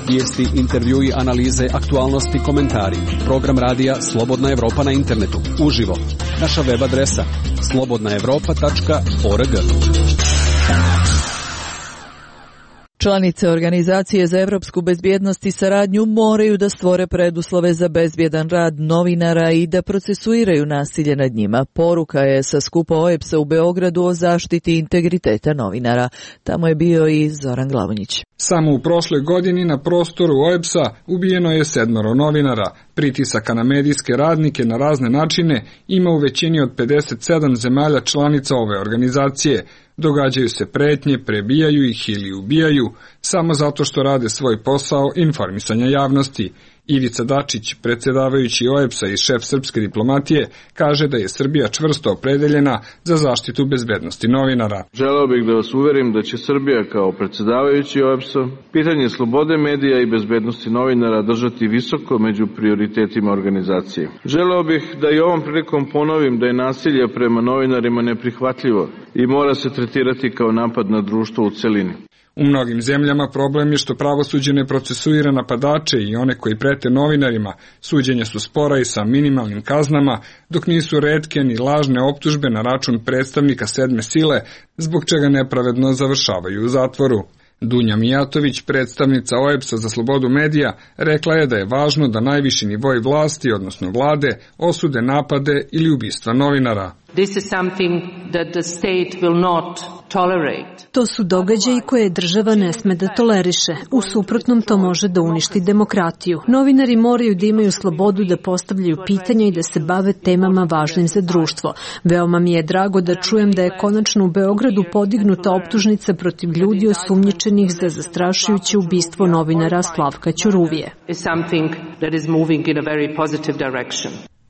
Vijesti, intervjui, analize, aktualnosti, komentari. Program radija Slobodna Evropa na internetu. Uživo. Naša web adresa slobodna evropa tačka org. Članice Organizacije za evropsku bezbjednost i saradnju moraju da stvore preduslove za bezbjedan rad novinara i da procesuiraju nasilje nad njima. Poruka je sa skupa O E B S-a u Beogradu o zaštiti integriteta novinara. Tamo je bio i Zoran Glavonjić. Samo u prošloj godini na prostoru O E B S-a ubijeno je sedmoro novinara. Pritisaka na medijske radnike na razne načine ima u većini od pedeset sedam zemalja članica ove organizacije. Događaju se pretnje, prebijaju ih ili ubijaju, samo zato što rade svoj posao informisanja javnosti. Ivica Dačić, predsjedavajući O E B S-a i šef srpske diplomatije, kaže da je Srbija čvrsto opredeljena za zaštitu bezbednosti novinara. Želeo bih da vas uverim da će Srbija kao predsjedavajući O E B S-a pitanje slobode medija i bezbednosti novinara držati visoko među prioritetima organizacije. Želeo bih da i ovom prilikom ponovim da je nasilje prema novinarima neprihvatljivo i mora se tretirati kao napad na društvo u celini. U mnogim zemljama problem je što pravosuđe ne procesuira napadače i one koji prete novinarima. Suđenja su spora i sa minimalnim kaznama, dok nisu retke ni lažne optužbe na račun predstavnika sedme sile, zbog čega nepravedno završavaju u zatvoru. Dunja Mijatović, predstavnica O E B S-a za slobodu medija, rekla je da je važno da najviši nivoj vlasti, odnosno vlade, osude napade ili ubistva novinara. This is something that the state will not tolerate. To su događaji koje država ne sme da toleriše. U suprotnom to može da uništi demokratiju. Novinari moraju da imaju slobodu da postavljaju pitanja i da se bave temama važnim za društvo. Veoma mi je drago da čujem da je konačno u Beogradu podignuta optužnica protiv ljudi osumnjičenih za zastrašujuće ubistvo novinara Slavka Ćuruvije.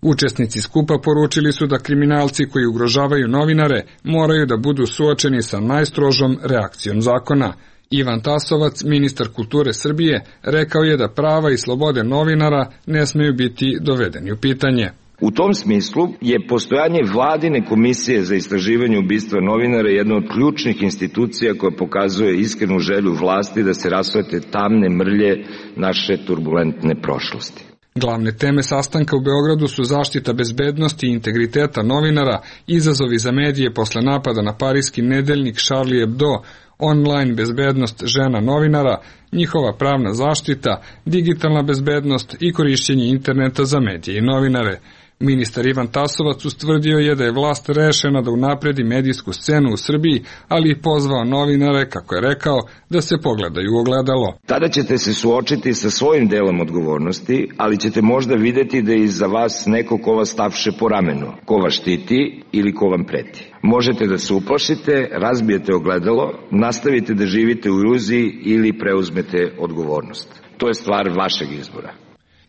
Učesnici skupa poručili su da kriminalci koji ugrožavaju novinare moraju da budu suočeni sa najstrožom reakcijom zakona. Ivan Tasovac, ministar kulture Srbije, rekao je da prava i slobode novinara ne smeju biti dovedeni u pitanje. U tom smislu je postojanje vladine komisije za istraživanje ubistva novinara jedna od ključnih institucija koja pokazuje iskrenu želju vlasti da se rasvete tamne mrlje naše turbulentne prošlosti. Glavne teme sastanka u Beogradu su zaštita bezbednosti i integriteta novinara, izazovi za medije posle napada na parijski nedeljnik Charlie Hebdo, online bezbednost žena novinara, njihova pravna zaštita, digitalna bezbednost i korišćenje interneta za medije i novinare. Ministar Ivan Tasovac ustvrdio je da je vlast rešena da unapredi medijsku scenu u Srbiji, ali i pozvao novinare, kako je rekao, da se pogledaju u ogledalo. Tada ćete se suočiti sa svojim delom odgovornosti, ali ćete možda videti da je iza vas neko ko vas tapše po ramenu, ko vas štiti ili ko vam preti. Možete da se uplašite, razbijete ogledalo, nastavite da živite u iluziji ili preuzmete odgovornost. To je stvar vašeg izbora.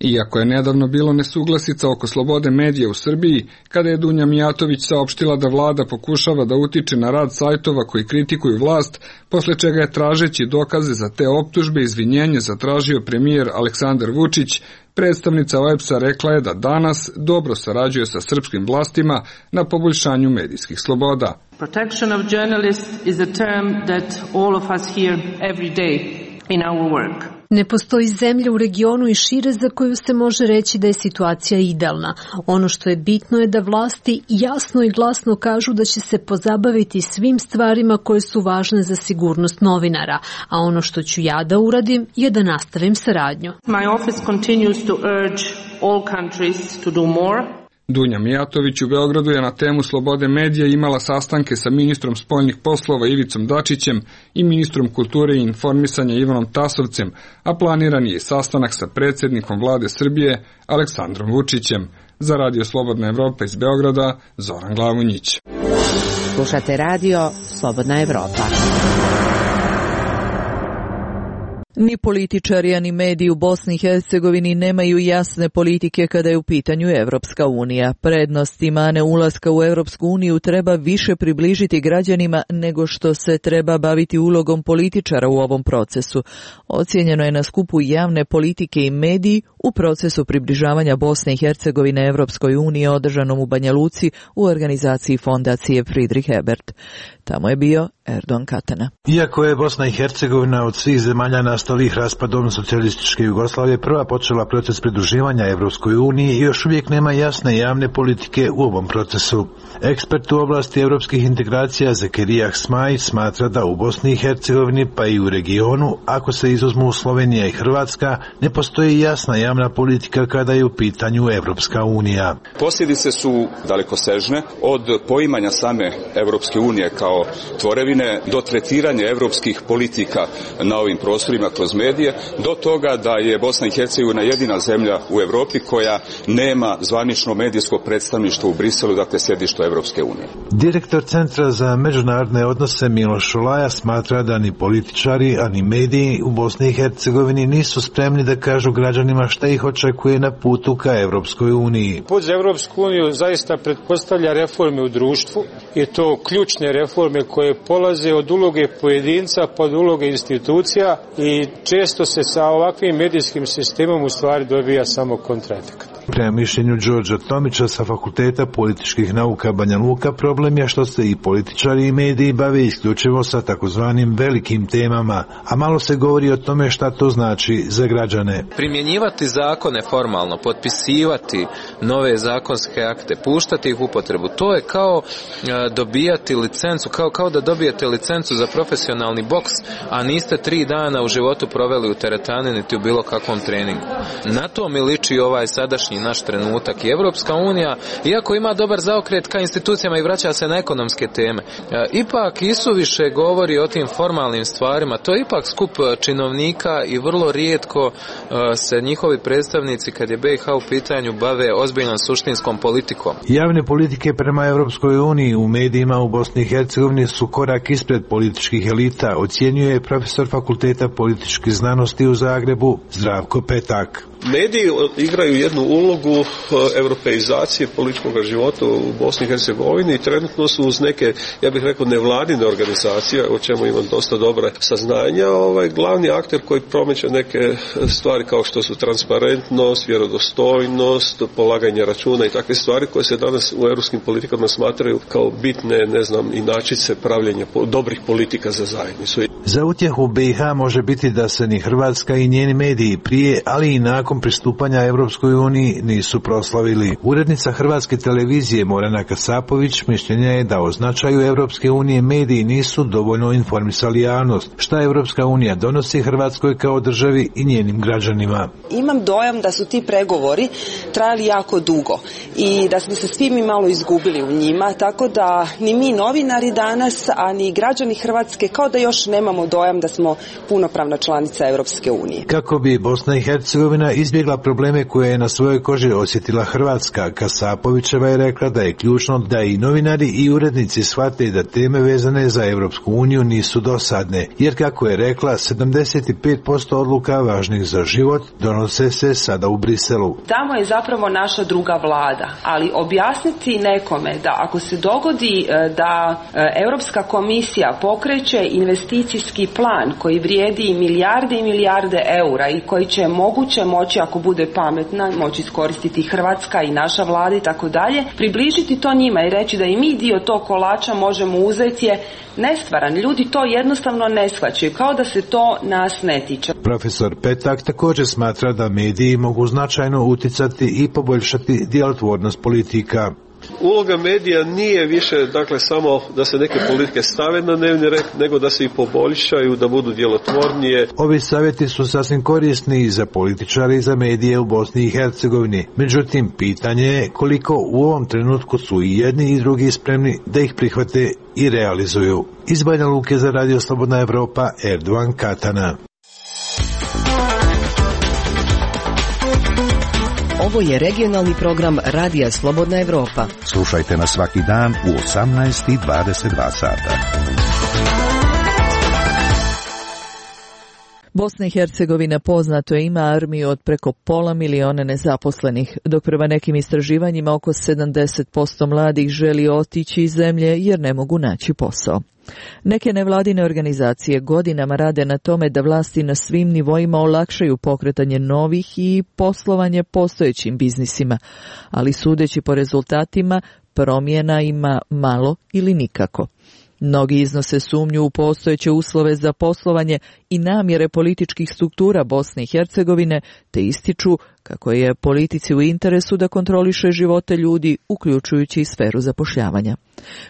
Iako je nedavno bilo nesuglasica oko slobode medija u Srbiji, kada je Dunja Mijatović saopštila da vlada pokušava da utiče na rad sajtova koji kritikuju vlast, posle čega je tražeći dokaze za te optužbe izvinjenje zatražio premijer Aleksandar Vučić, predstavnica O E B S-a rekla je da danas dobro sarađuje sa srpskim vlastima na poboljšanju medijskih sloboda. Protection of journalists is a term that all of us hear every day in our work. Ne postoji zemlja u regionu i šire za koju se može reći da je situacija idealna. Ono što je bitno je da vlasti jasno i glasno kažu da će se pozabaviti svim stvarima koje su važne za sigurnost novinara, a ono što ću ja da uradim je da nastavim saradnju. My office continues to urge all countries to do more. Dunja Mijatović u Beogradu je na temu slobode medija imala sastanke sa ministrom spoljnih poslova Ivicom Dačićem i ministrom kulture i informisanja Ivanom Tasovcem, a planiran je sastanak sa predsjednikom vlade Srbije Aleksandrom Vučićem. Za Radio Slobodna Evropa iz Beograda, Zoran Glavunjić. Slušate radio Slobodna Evropa. Ni političari, ani mediji u Bosni i Hercegovini nemaju jasne politike kada je u pitanju Evropska unija. Prednost i mane ulaska u Evropsku uniju treba više približiti građanima nego što se treba baviti ulogom političara u ovom procesu. Ocijenjeno je na skupu javne politike i mediji u procesu približavanja Bosne i Hercegovine Evropskoj uniji održanom u Banja Luci u organizaciji fondacije Friedrich Ebert. Tamo je bio Erdogan Katana. Iako je Bosna i Hercegovina od svih zemalja nastalih raspadom socijalističke Jugoslavije prva počela proces pridruživanja Evropskoj uniji i još uvijek nema jasne javne politike u ovom procesu. Ekspert u oblasti evropskih integracija Zekerija Smaj smatra da u Bosni i Hercegovini pa i u regionu, ako se izuzmu Slovenija i Hrvatska, ne postoji jasna javna politika kada je u pitanju Evropska unija. Posljedice su dalekosežne, od poimanja same Evropske unije kao tvorevine do tretiranja evropskih politika na ovim prostorima kroz medije, do toga da je Bosna i Hercegovina jedina zemlja u Evropi koja nema zvanično medijsko predstavništvo u Briselu, dakle sjedište Evropske unije. Direktor Centra za međunarodne odnose Miloš Šolaja smatra da ni političari, ani mediji u Bosni i Hercegovini nisu spremni da kažu građanima šta ih očekuje na putu ka Evropskoj uniji. Put za Evropsku uniju zaista pretpostavlja reforme u društvu i to ključne reforme koje polaze od uloge pojedinca pod uloge institucija i često se sa ovakvim medijskim sistemom u stvari dobija samo kontraefekat. Prema mišljenju Đorđa Tomića sa Fakulteta političkih nauka Banja Luka, problem je što se i političari i mediji bave isključivo sa takozvanim velikim temama, a malo se govori o tome šta to znači za građane. Primjenjivati zakone formalno, potpisivati nove zakonske akte, puštati ih u upotrebu, to je kao dobijati licencu, kao, kao da dobijete licencu za profesionalni boks, a niste tri dana u životu proveli u teretani niti u bilo kakvom treningu. Na to mi liči ovaj sadašnji današnji naš trenutak. I Evropska unija, iako ima dobar zaokret ka institucijama i vraća se na ekonomske teme, ipak isuviše govori o tim formalnim stvarima. To je ipak skup činovnika i vrlo rijetko se njihovi predstavnici, kad je B i H u pitanju, bave ozbiljnom suštinskom politikom. Javne politike prema Evropskoj uniji u medijima u Bosni i Hercegovini su korak ispred političkih elita, ocjenjuje profesor Fakulteta političkih znanosti u Zagrebu Zdravko Petak. Mediji igraju jednu ulogu europeizacije političkog života u Bosni i Hercegovini i trenutno su uz neke, ja bih rekao, nevladine organizacije, o čemu imam dosta dobre saznanja, ovaj glavni akter koji promiče neke stvari kao što su transparentnost, vjerodostojnost, polaganje računa i takve stvari koje se danas u europskim politikama smatraju kao bitne, ne znam, inačice pravljenja dobrih politika za zajednicu. Za utjehu B i H može biti da se ni Hrvatska i njeni mediji prije, ali i nakon pristupanja Evropskoj uniji nisu proslavili. Urednica Hrvatske televizije Morana Kasapović mišljenja je da o značaju Evropske unije mediji nisu dovoljno informisali javnost. Šta Evropska unija donosi Hrvatskoj kao državi i njenim građanima? Imam dojam da su ti pregovori trajali jako dugo i da smo se svi mi malo izgubili u njima, tako da ni mi novinari danas, a ni građani Hrvatske kao da još nemamo dojam da smo punopravna članica Evropske unije. Kako bi Bosna i Hercegovina izbjegla probleme koje je na svojoj koži osjetila Hrvatska, Kasapovićeva je rekla da je ključno da i novinari i urednici shvate da teme vezane za Evropsku uniju nisu dosadne, jer kako je rekla, sedamdeset pet posto odluka važnih za život donose se sada u Briselu. Tamo je zapravo naša druga vlada, ali objasniti nekome da ako se dogodi da Europska komisija pokreće investicijski plan koji vrijedi milijarde i milijarde eura i koji će moguće moći, ako bude pametna, moći iskoristiti Hrvatska i naša vlada i tako dalje, približiti to njima i reći da i mi dio tog kolača možemo uzeti je nestvaran. Ljudi to jednostavno ne shvaćaju, kao da se to nas ne tiče. Profesor Petak također smatra da mediji mogu značajno uticati i poboljšati djelotvornost politika. Uloga medija nije više, dakle, samo da se neke politike stave na dnevni red, nego da se i poboljšaju, da budu djelotvornije. Ovi savjeti su sasvim korisni i za političare i za medije u Bosni i Hercegovini. Međutim, pitanje je koliko u ovom trenutku su i jedni i drugi spremni da ih prihvate i realizuju. Iz Banja Luke za Radio Slobodna Evropa, Erdovan Katana. Ovo je regionalni program Radija Slobodna Evropa. Slušajte nas svaki dan u osamnaest i dvadeset dva sata. Bosna i Hercegovina poznato je ima armiju od preko pola miliona nezaposlenih, dok prema nekim istraživanjima oko sedamdeset posto mladih želi otići iz zemlje jer ne mogu naći posao. Neke nevladine organizacije godinama rade na tome da vlasti na svim nivoima olakšaju pokretanje novih i poslovanje postojećim biznisima, ali sudeći po rezultatima promjena ima malo ili nikako. Mnogi iznose sumnju u postojeće uslove za poslovanje i namjere političkih struktura Bosne i Hercegovine, te ističu kako je politici u interesu da kontroliše živote ljudi, uključujući i sferu zapošljavanja.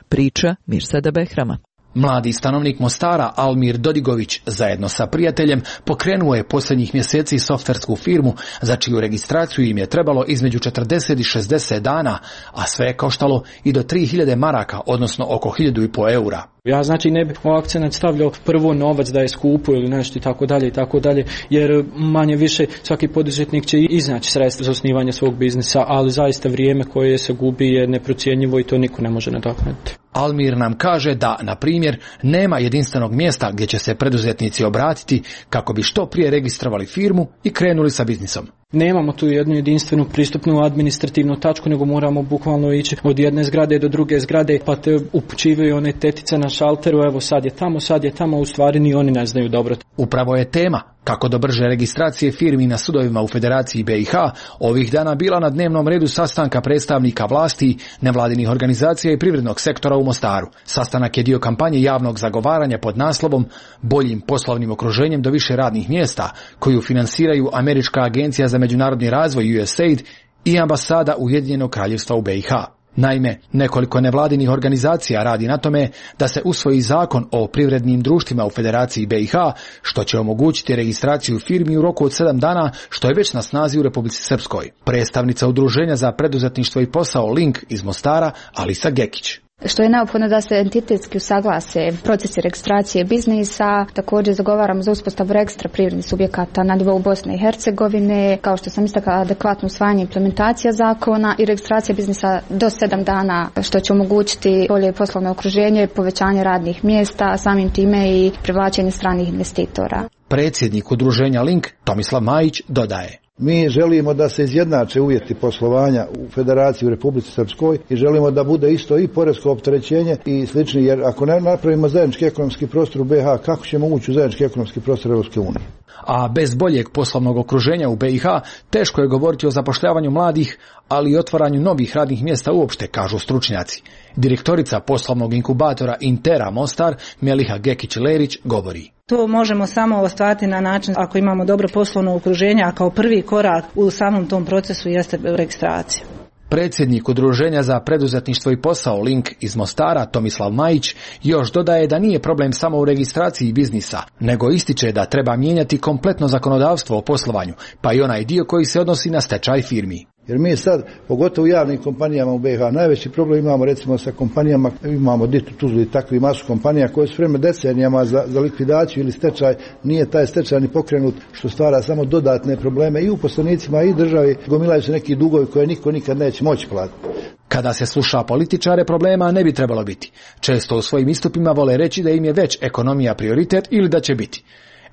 Priča Mirsada Behrama. Mladi stanovnik Mostara Almir Dodigović zajedno sa prijateljem pokrenuo je posljednjih mjeseci softversku firmu za čiju registraciju im je trebalo između četrdeset i šezdeset dana, a sve je koštalo i do tri hiljade maraka, odnosno oko hiljadu i po eura. Ja znači ne bih u akcenat stavljao prvo novac da je skupo ili nešto i tako dalje i tako dalje, jer manje više svaki poduzetnik će iznaći sredstva za osnivanje svog biznisa, ali zaista vrijeme koje se gubi je neprocjenjivo i to niko ne može nadoknaditi. Almir nam kaže da, na primjer, nema jedinstvenog mjesta gdje će se preduzetnici obratiti kako bi što prije registrovali firmu i krenuli sa biznisom. Nemamo tu jednu jedinstvenu pristupnu administrativnu tačku, nego moramo bukvalno ići od jedne zgrade do druge zgrade, pa te upućivaju one tetice na šalteru, evo sad je tamo, sad je tamo, u stvari ni oni ne znaju dobro. Upravo je tema kako do brže registracije firmi na sudovima u Federaciji B i H ovih dana bila na dnevnom redu sastanka predstavnika vlasti, nevladinih organizacija i privrednog sektora u Mostaru. Sastanak je dio kampanje javnog zagovaranja pod naslovom Boljim poslovnim okruženjem do više radnih mjesta, koju finansiraju Američka agencija za međunarodni razvoj U S A I D i ambasada Ujedinjenog kraljevstva u B i H. Naime, nekoliko nevladinih organizacija radi na tome da se usvoji zakon o privrednim društvima u Federaciji B i H, što će omogućiti registraciju firmi u roku od sedam dana, što je već na snazi u Republici Srpskoj. Predstavnica Udruženja za preduzetništvo i posao Link iz Mostara, Alisa Gekić. Što je neophodno da se entitetski usaglase procesi registracije biznisa, također zagovaramo za uspostavu registra privrednih subjekata na nivou Bosne i Hercegovine, kao što sam istakla, adekvatno usvajanje implementacija zakona i registracija biznisa do sedam dana, što će omogućiti bolje poslovno okruženje, povećanje radnih mjesta, samim time i privlačenje stranih investitora. Predsjednik Udruženja Link, Tomislav Majić, dodaje. Mi želimo da se izjednače uvjeti poslovanja u Federaciji u Republici Srpskoj i želimo da bude isto i poresko opterećenje i slični, jer ako ne napravimo zajednički ekonomski prostor u B i H, kako ćemo ući u zajednički ekonomski prostor Europske unije? A bez boljeg poslovnog okruženja u B i H teško je govoriti o zapošljavanju mladih, ali i otvaranju novih radnih mjesta uopšte, kažu stručnjaci. Direktorica poslovnog inkubatora Intera Mostar, Meliha Gekić-Lerić, govori. To možemo samo ostvariti na način ako imamo dobro poslovno okruženje, a kao prvi korak u samom tom procesu jeste registracija. Predsjednik Udruženja za preduzetništvo i posao Link iz Mostara, Tomislav Majić, još dodaje da nije problem samo u registraciji biznisa, nego ističe da treba mijenjati kompletno zakonodavstvo o poslovanju, pa i onaj dio koji se odnosi na stečaj firmi. Jer mi sad, pogotovo u javnim kompanijama u B i H, najveći problem imamo recimo sa kompanijama, imamo Ditu, Tuzlu i takvi masu kompanija koje su vreme decenijama za, za likvidaciju ili stečaj, nije taj stečaj ni pokrenut, što stvara samo dodatne probleme i uposlenicima i državi, gomilaju se neki dugovi koje niko nikad neće moći platiti. Kada se sluša političare, problema ne bi trebalo biti. Često u svojim istupima vole reći da im je već ekonomija prioritet ili da će biti.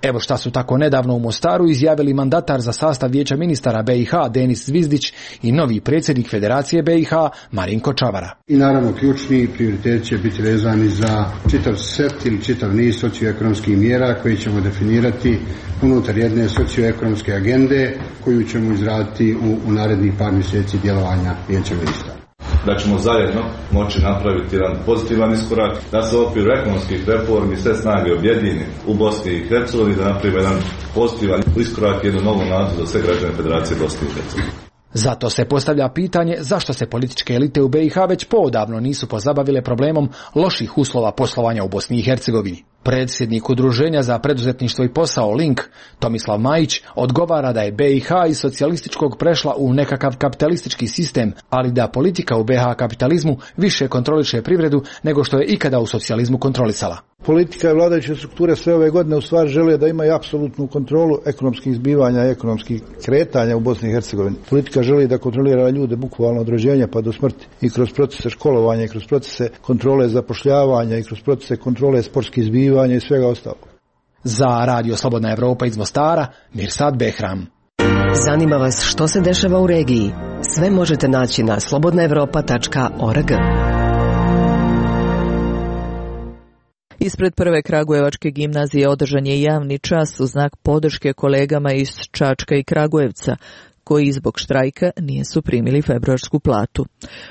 Evo šta su tako nedavno u Mostaru izjavili mandatar za sastav vijeća ministara B i H Denis Zvizdić i novi predsjednik Federacije B i H Marinko Čavara. I naravno ključni prioritet će biti vezani za čitav set ili čitav niz socioekonomskih mjera koje ćemo definirati unutar jedne socioekonomske agende koju ćemo izraditi u, u narednih par mjeseci djelovanja vijeća ministara. Da ćemo zajedno moći napraviti jedan pozitivan iskorak, da se u okviru ekonomskih reformi sve snage objedini u Bosni i Hercegovini, da napravimo jedan pozitivan iskorak, jednu novu nadu za sve građane Federacije Bosne i Hercegovine. Zato se postavlja pitanje zašto se političke elite u B i H već poodavno nisu pozabavile problemom loših uslova poslovanja u Bosni i Hercegovini. Predsjednik Udruženja za preduzetništvo i posao Link, Tomislav Majić, odgovara da je B i H iz socijalističkog prešla u nekakav kapitalistički sistem, ali da politika u B i H kapitalizmu više kontroliše privredu nego što je ikada u socijalizmu kontrolisala. Politika i vladajuće strukture sve ove godine u stvari žele da imaju apsolutnu kontrolu ekonomskih zbivanja i ekonomskih kretanja u Bosni i Hercegovini. Politika želi da kontrolira ljude bukvalno od rođenja pa do smrti i kroz procese školovanja i kroz procese kontrole zapošljavanja i kroz procese kontrole sportskih zbivanja i svega ostalog. Za Radio Slobodna Evropa iz Mostara, Mirsad Behram. Zanima vas što se dešava u regiji? Sve možete naći na slobodna evropa tačka org. Ispred prve Kragujevačke gimnazije održan je javni čas u znak podrške kolegama iz Čačka i Kragujevca, koji zbog štrajka nisu primili februarsku platu.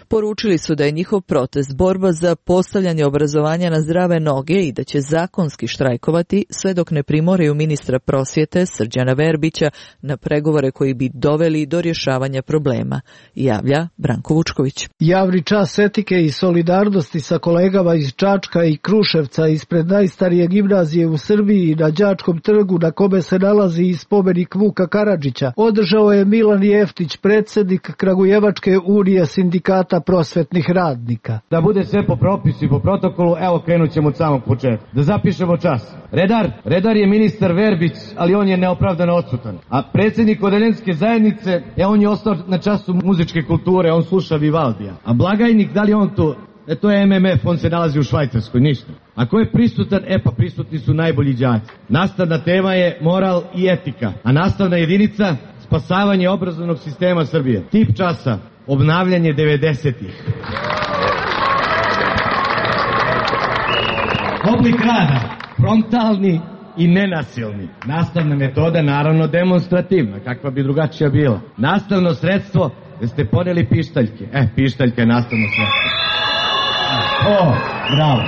Poručili su da je njihov protest borba za postavljanje obrazovanja na zdrave noge i da će zakonski štrajkovati sve dok ne primoraju ministra prosvjete Srđana Verbića na pregovore koji bi doveli do rješavanja problema, javlja Branko Vučković. Javni čas etike i solidarnosti sa kolegama iz Čačka i Kruševca ispred najstarije gimnazije u Srbiji na Đačkom trgu na kome se nalazi i spomenik Vuka Karadžića održao je Milan Jeftić, predsjednik Kragujevačke unije sindikata prosvetnih radnika. Da bude sve po propisu i po protokolu, evo krenut ćemo od samog početka. Da zapišemo čas. Redar, redar je ministar Verbić, ali on je neopravdano odsutan. A predsjednik odeljenske zajednice, e, on je ostao na času muzičke kulture, on sluša Vivaldija. A blagajnik, da li on to? E, to je M M F, on se nalazi u Švajcarskoj, ništa. A ko je prisutan? E pa prisutni su najbolji đaci. Nastavna tema je moral i etika, a nastavna jedinica spasavanje obrazovnog sistema Srbije. Tip časa, obnavljanje devedesetih. Oblik rada, frontalni i nenasilni. Nastavna metoda, naravno demonstrativna, kakva bi drugačija bila. Nastavno sredstvo, da ste poneli pištaljke. E, pištaljka je nastavno sredstvo. O, bravo.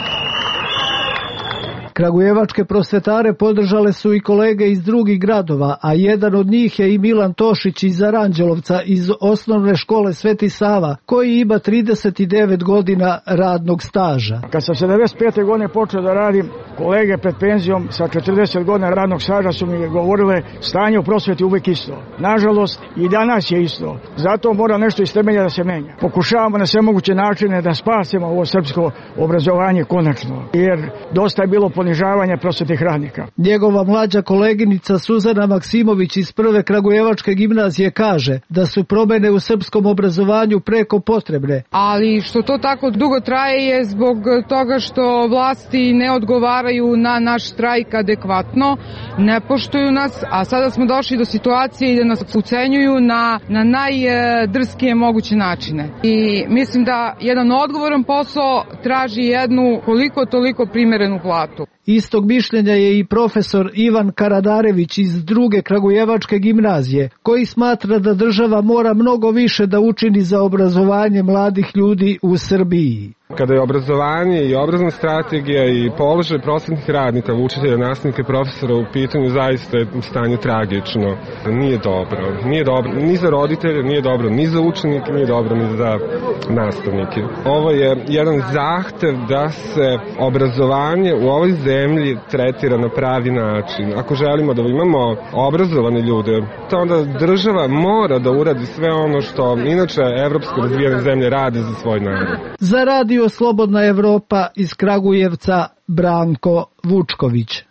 Kragujevačke prosvetare podržale su i kolege iz drugih gradova, a jedan od njih je i Milan Tošić iz Aranđelovca iz osnovne škole Sveti Sava, koji ima trideset devet godina radnog staža. Kad sam sedamdeset pete godine počeo da radim, kolege pred penzijom sa četrdeset godina radnog staža su mi govorile stanje u prosveti uvijek isto. Nažalost, i danas je isto. Zato mora nešto iz temelja da se menja. Pokušavamo na sve moguće načine da spasimo ovo srpsko obrazovanje konačno, jer dosta je bilo ponižavanja prosvetnih radnika. Njegova mlađa koleginica Suzana Maksimović iz prve Kragujevačke gimnazije kaže da su promene u srpskom obrazovanju preko potrebne. Ali što to tako dugo traje je zbog toga što vlasti ne odgovaraju na naš štrajk adekvatno, ne poštuju nas, a sada smo došli do situacije da nas ucenjuju na, na najdrskije moguće načine. I mislim da jedan odgovoran posao traži jednu koliko toliko primerenu platu. Istog mišljenja je i profesor Ivan Karadarević iz druge Kragujevačke gimnazije, koji smatra da država mora mnogo više da učini za obrazovanje mladih ljudi u Srbiji. Kada je obrazovanje i obrazovna strategija i položaj prosvetnih radnika, učitelja, nastavnika i profesora u pitanju, zaista je stanje tragično. Nije dobro. Nije dobro ni za roditelje, nije dobro ni za učenike, nije dobro ni za nastavnike. Ovo je jedan zahtev da se obrazovanje u ovoj zemlji tretira na pravi način. Ako želimo da imamo obrazovane ljude, to onda država mora da uradi sve ono što inače evropske razvijene zemlje rade za svoj narod. Za radio Slobodna Evropa iz Kragujevca, Branko Vučković.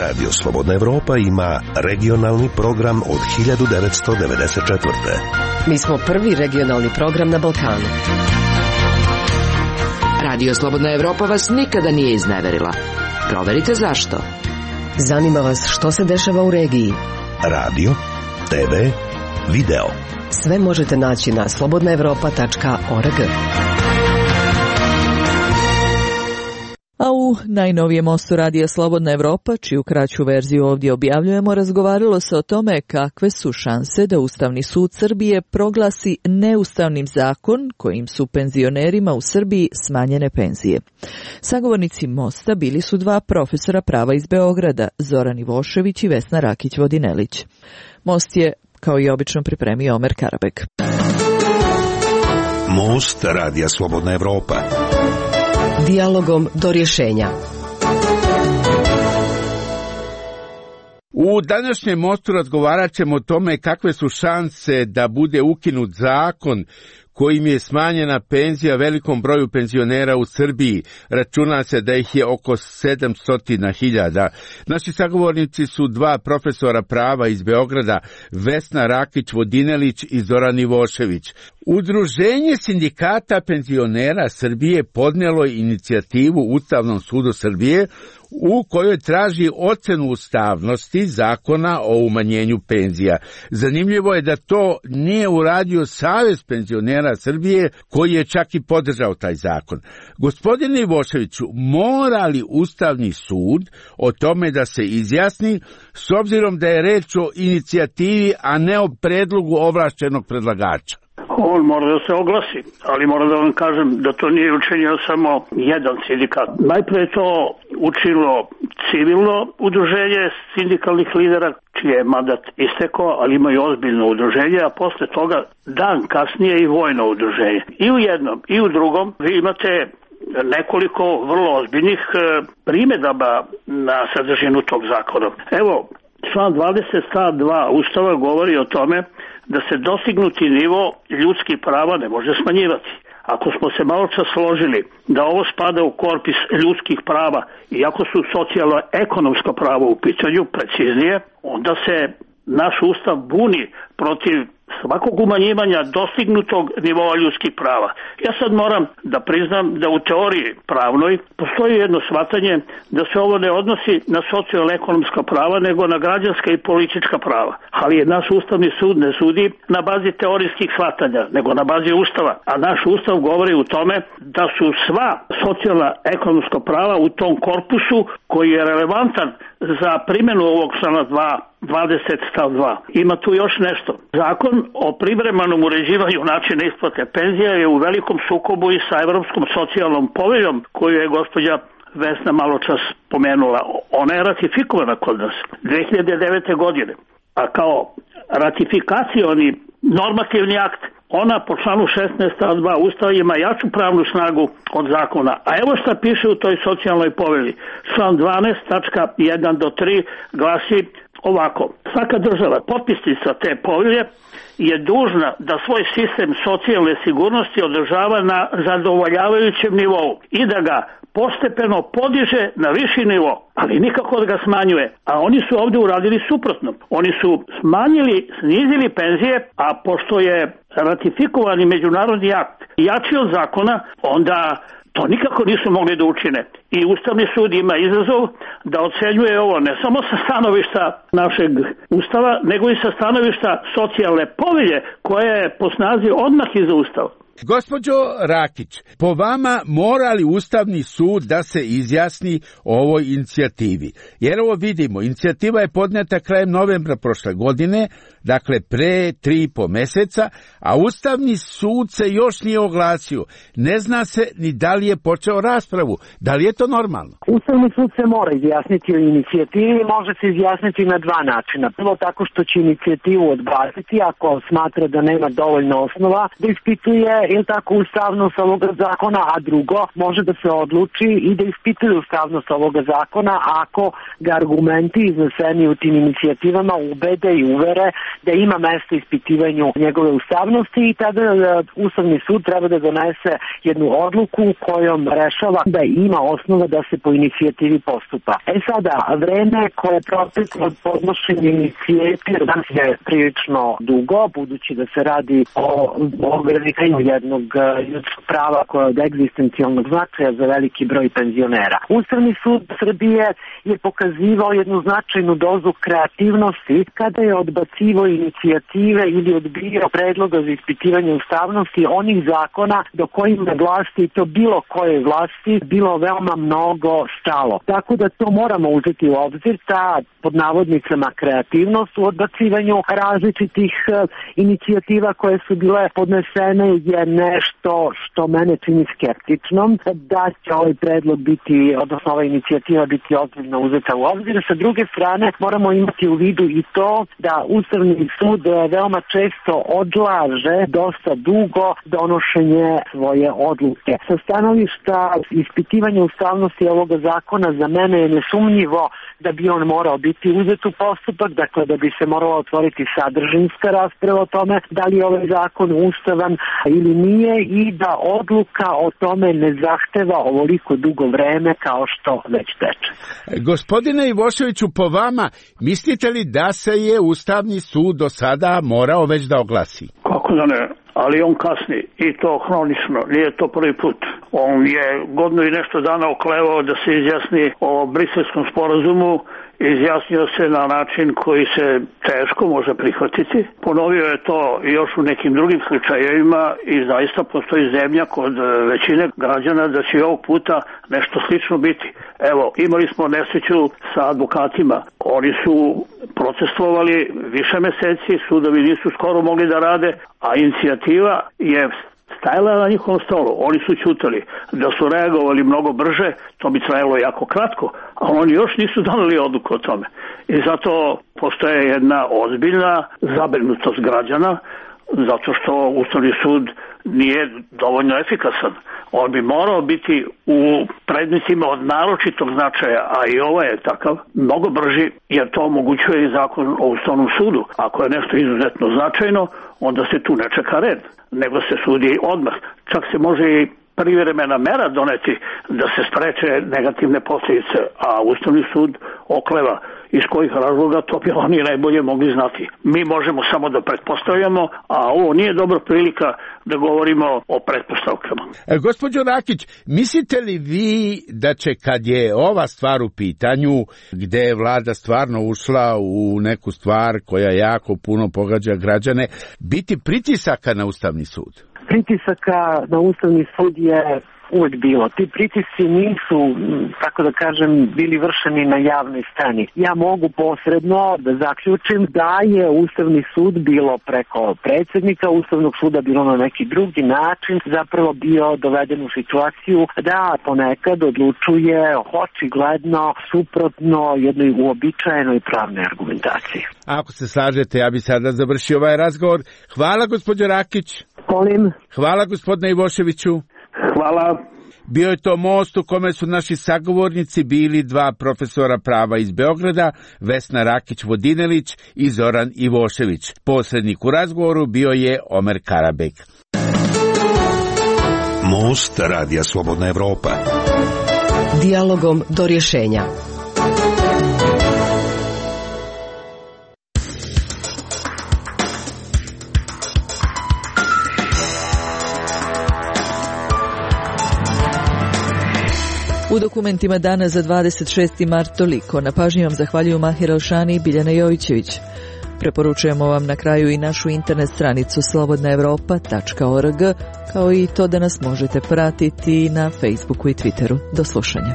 Radio Slobodna Evropa ima regionalni program od hiljadu devetsto devedeset četvrte. Mi smo prvi regionalni program na Balkanu. Radio Slobodna Evropa vas nikada nije izneverila. Proverite zašto. Zanima vas što se dešava u regiji. Radio, te ve, video. Sve možete naći na slobodna evropa tačka org. A u najnovijem mostu Radija Slobodna Evropa, čiju kraću verziju ovdje objavljujemo, razgovaralo se o tome kakve su šanse da Ustavni sud Srbije proglasi neustavnim zakon kojim su penzionerima u Srbiji smanjene penzije. Sagovornici mosta bili su dva profesora prava iz Beograda, Zoran Ivošević i Vesna Rakić-Vodinelić. Most je kao i obično pripremio Omer Karabek. Most Radija Slobodna Evropa. Dijalogom do rješenja. U današnjem mostu razgovarat ćemo o tome kakve su šanse da bude ukinut zakon kojim je smanjena penzija velikom broju penzionera u Srbiji. Računa se da ih je oko sedamsto hiljada. Naši sagovornici su dva profesora prava iz Beograda, Vesna Rakić-Vodinelić i Zoran Ivošević. Udruženje sindikata penzionera Srbije podnijelo je inicijativu Ustavnom sudu Srbije u kojoj traži ocenu ustavnosti zakona o umanjenju penzija. Zanimljivo je da to nije uradio Savez penzionera Srbije, koji je čak i podržao taj zakon. Gospodine Ivoševiću, mora li Ustavni sud o tome da se izjasni, s obzirom da je reč o inicijativi, a ne o predlogu ovlašćenog predlagača? On mora da se oglasi, ali moram da vam kažem da to nije učinio samo jedan sindikat. Najprije je to učinilo civilno udruženje sindikalnih lidera, čije je mandat istekao, ali imaju ozbiljno udruženje, a posle toga dan kasnije i vojno udruženje. I u jednom i u drugom vi imate nekoliko vrlo ozbiljnih primjedaba na sadržinu tog zakona. Evo, član dvadeset stav dva Ustava govori o tome da se dostignuti nivo ljudskih prava ne može smanjivati. Ako smo se malo čas složili da ovo spada u korpus ljudskih prava, iako su socijalno-ekonomska prava u pitanju, preciznije, onda se naš Ustav buni protiv svakog umanjivanja dostignutog nivoa ljudskih prava. Ja sad moram da priznam da u teoriji pravnoj postoji jedno shvatanje da se ovo ne odnosi na socijalno-ekonomska prava, nego na građanska i politička prava. Ali je naš Ustavni sud ne sudi na bazi teorijskih shvatanja, nego na bazi Ustava. A naš Ustav govori u tome da su sva socijalno-ekonomska prava u tom korpusu koji je relevantan za primjenu ovog člana dva, dvadeset stav dva. Ima tu još nešto. Zakon o privremenom uređivanju načina isplate penzija je u velikom sukobu i sa Evropskom socijalnom poveljom koju je gospođa Vesna malo čas pomenula, ona je ratifikovana kod nas dve hiljade devete. godine, a kao ratifikacioni normativni akt, ona po članu šesnaest stav dva Ustava ima jaču pravnu snagu od zakona. A evo šta piše u toj socijalnoj povelji. Član dvanaest tačka jedan do tri glasi ovako: svaka država potpisnica te povelje je dužna da svoj sistem socijalne sigurnosti održava na zadovoljavajućem nivou i da ga postepeno podiže na viši nivo, ali nikako da ga smanjuje. A oni su ovdje uradili suprotno. Oni su smanjili, snizili penzije, a pošto je ratifikovani međunarodni akt jači od zakona, onda to nikako nisu mogli da učine. I Ustavni sud ima izazov da ocenjuje ovo ne samo sa stanovišta našeg Ustava, nego i sa stanovišta socijalne povelje koja je po snazi odmah iza Ustava. Gospođo Rakić, po vama mora li Ustavni sud da se izjasni o ovoj inicijativi? Jer ovo vidimo, inicijativa je podneta krajem novembra prošle godine, dakle pre tri i po meseca, a Ustavni sud se još nije oglasio. Ne zna se ni da li je počeo raspravu. Da li je to normalno? Ustavni sud se mora izjasniti o inicijativi i može se izjasniti na dva načina. Prvo tako što će inicijativu odbaciti ako smatra da nema dovoljno osnova da ispituje ili tako ustavnost ovoga zakona, a drugo može da se odluči i da ispituje ustavnost ovoga zakona ako ga argumenti izneseni u tim inicijativama ubede i uvere da ima mesta ispitivanju njegove ustavnosti i tada Ustavni sud treba da donese jednu odluku kojom rešava da ima osnova da se po inicijativi postupa. E sada, vreme koje je proteklo od podnošenja inicijative danas je prilično dugo, budući da se radi o ograničenju jednog ljudskog prava koje je od egzistencijalnog značaja za veliki broj penzionera. Ustavni sud Srbije je pokazivao jednu značajnu dozu kreativnosti kada je odbacivao inicijative ili odbijao predloga za ispitivanje ustavnosti onih zakona do kojima vlasti, i to bilo koje vlasti, bilo veoma mnogo stalo. Tako da to moramo uzeti u obzir, ta pod navodnicama kreativnost u odbacivanju različitih inicijativa koje su bile podnesene je nešto što mene čini skeptičnom, da će ovaj predlog biti, odnosno ova inicijativa biti ozbiljno uzeta u obzir. Sa druge strane, moramo imati u vidu i to da Ustavni sud veoma često odlaže dosta dugo donošenje svoje odluke. Sa stanovišta ispitivanja ustavnosti ovoga zakona za mene je nesumnjivo da bi on morao biti uzet u postupak, dakle da bi se morala otvoriti sadržinska rasprava o tome da li je ovaj zakon ustavan ili nije i da odluka o tome ne zahteva ovoliko dugo vreme kao što već teče. Gospodine Ivoševiću, po vama, mislite li da se je Ustavni sud do sada morao već da oglasi? Kako da ne? Ali on kasni i to hronično, nije to prvi put. On je godinu i nešto dana oklevao da se izjasni o Briselskom sporazumu, izjasnio se na način koji se teško može prihvatiti. Ponovio je to još u nekim drugim slučajevima i zaista postoji zemlja kod većine građana da će ovog puta nešto slično biti. Evo, imali smo nesreću sa advokatima. Oni su procestovali više meseci, sudovi nisu skoro mogli da rade, a inicijativa je stajala na njihovom stolu. Oni su ćutali. Da su reagovali mnogo brže, to bi trajalo jako kratko, a oni još nisu doneli odluku o tome. I zato postoje jedna ozbiljna zabrinutost građana, zato što Ustavni sud nije dovoljno efikasan. On bi morao biti u predmetima od naročitog značaja, a i ovo je takav, mnogo brži, jer to omogućuje i zakon o Ustavnom sudu. Ako je nešto izuzetno značajno, onda se tu ne čeka red, nego se sudi odmah. Čak se može i privremena mera doneti da se spreče negativne posljedice, a Ustavni sud okleva. Iz kojih razloga, to bi oni najbolje mogli znati. Mi možemo samo da pretpostavljamo, a ovo nije dobra prilika da govorimo o pretpostavkama. E, gospođo Rakić, mislite li vi da će, kad je ova stvar u pitanju, gde je vlada stvarno ušla u neku stvar koja jako puno pogađa građane, biti pritisaka na Ustavni sud? Pritisaka na Ustavni sud je uvek bilo. Ti pritisci nisu, tako da kažem, bili vršeni na javnoj sceni. Ja mogu posredno da zaključim da je Ustavni sud bilo preko predsjednika Ustavnog suda, bilo na neki drugi način, zapravo bio doveden u situaciju da ponekad odlučuje očigledno suprotno jednoj uobičajenoj pravnoj argumentaciji. Ako se slažete, ja bi sada završio ovaj razgovor. Hvala, gospođo Rakić. Molim. Hvala, gospodine Ivoševiću. Hvala. Bio je to most u kome su naši sagovornici bili dva profesora prava iz Beograda, Vesna Rakić-Vodinelić i Zoran Ivošević. Posrednik u razgovoru bio je Omer Karabek. Most Radija Slobodna Evropa. Dijalogom do rješenja. U dokumentima dana za dvadeset šesti mart toliko. Na pažnji vam zahvaljuju Mahir Alšani i Biljana Jovićević. Preporučujemo vam na kraju i našu internet stranicu slobodna evropa tačka org, kao i to da nas možete pratiti na Facebooku i Twitteru. Do slušanja.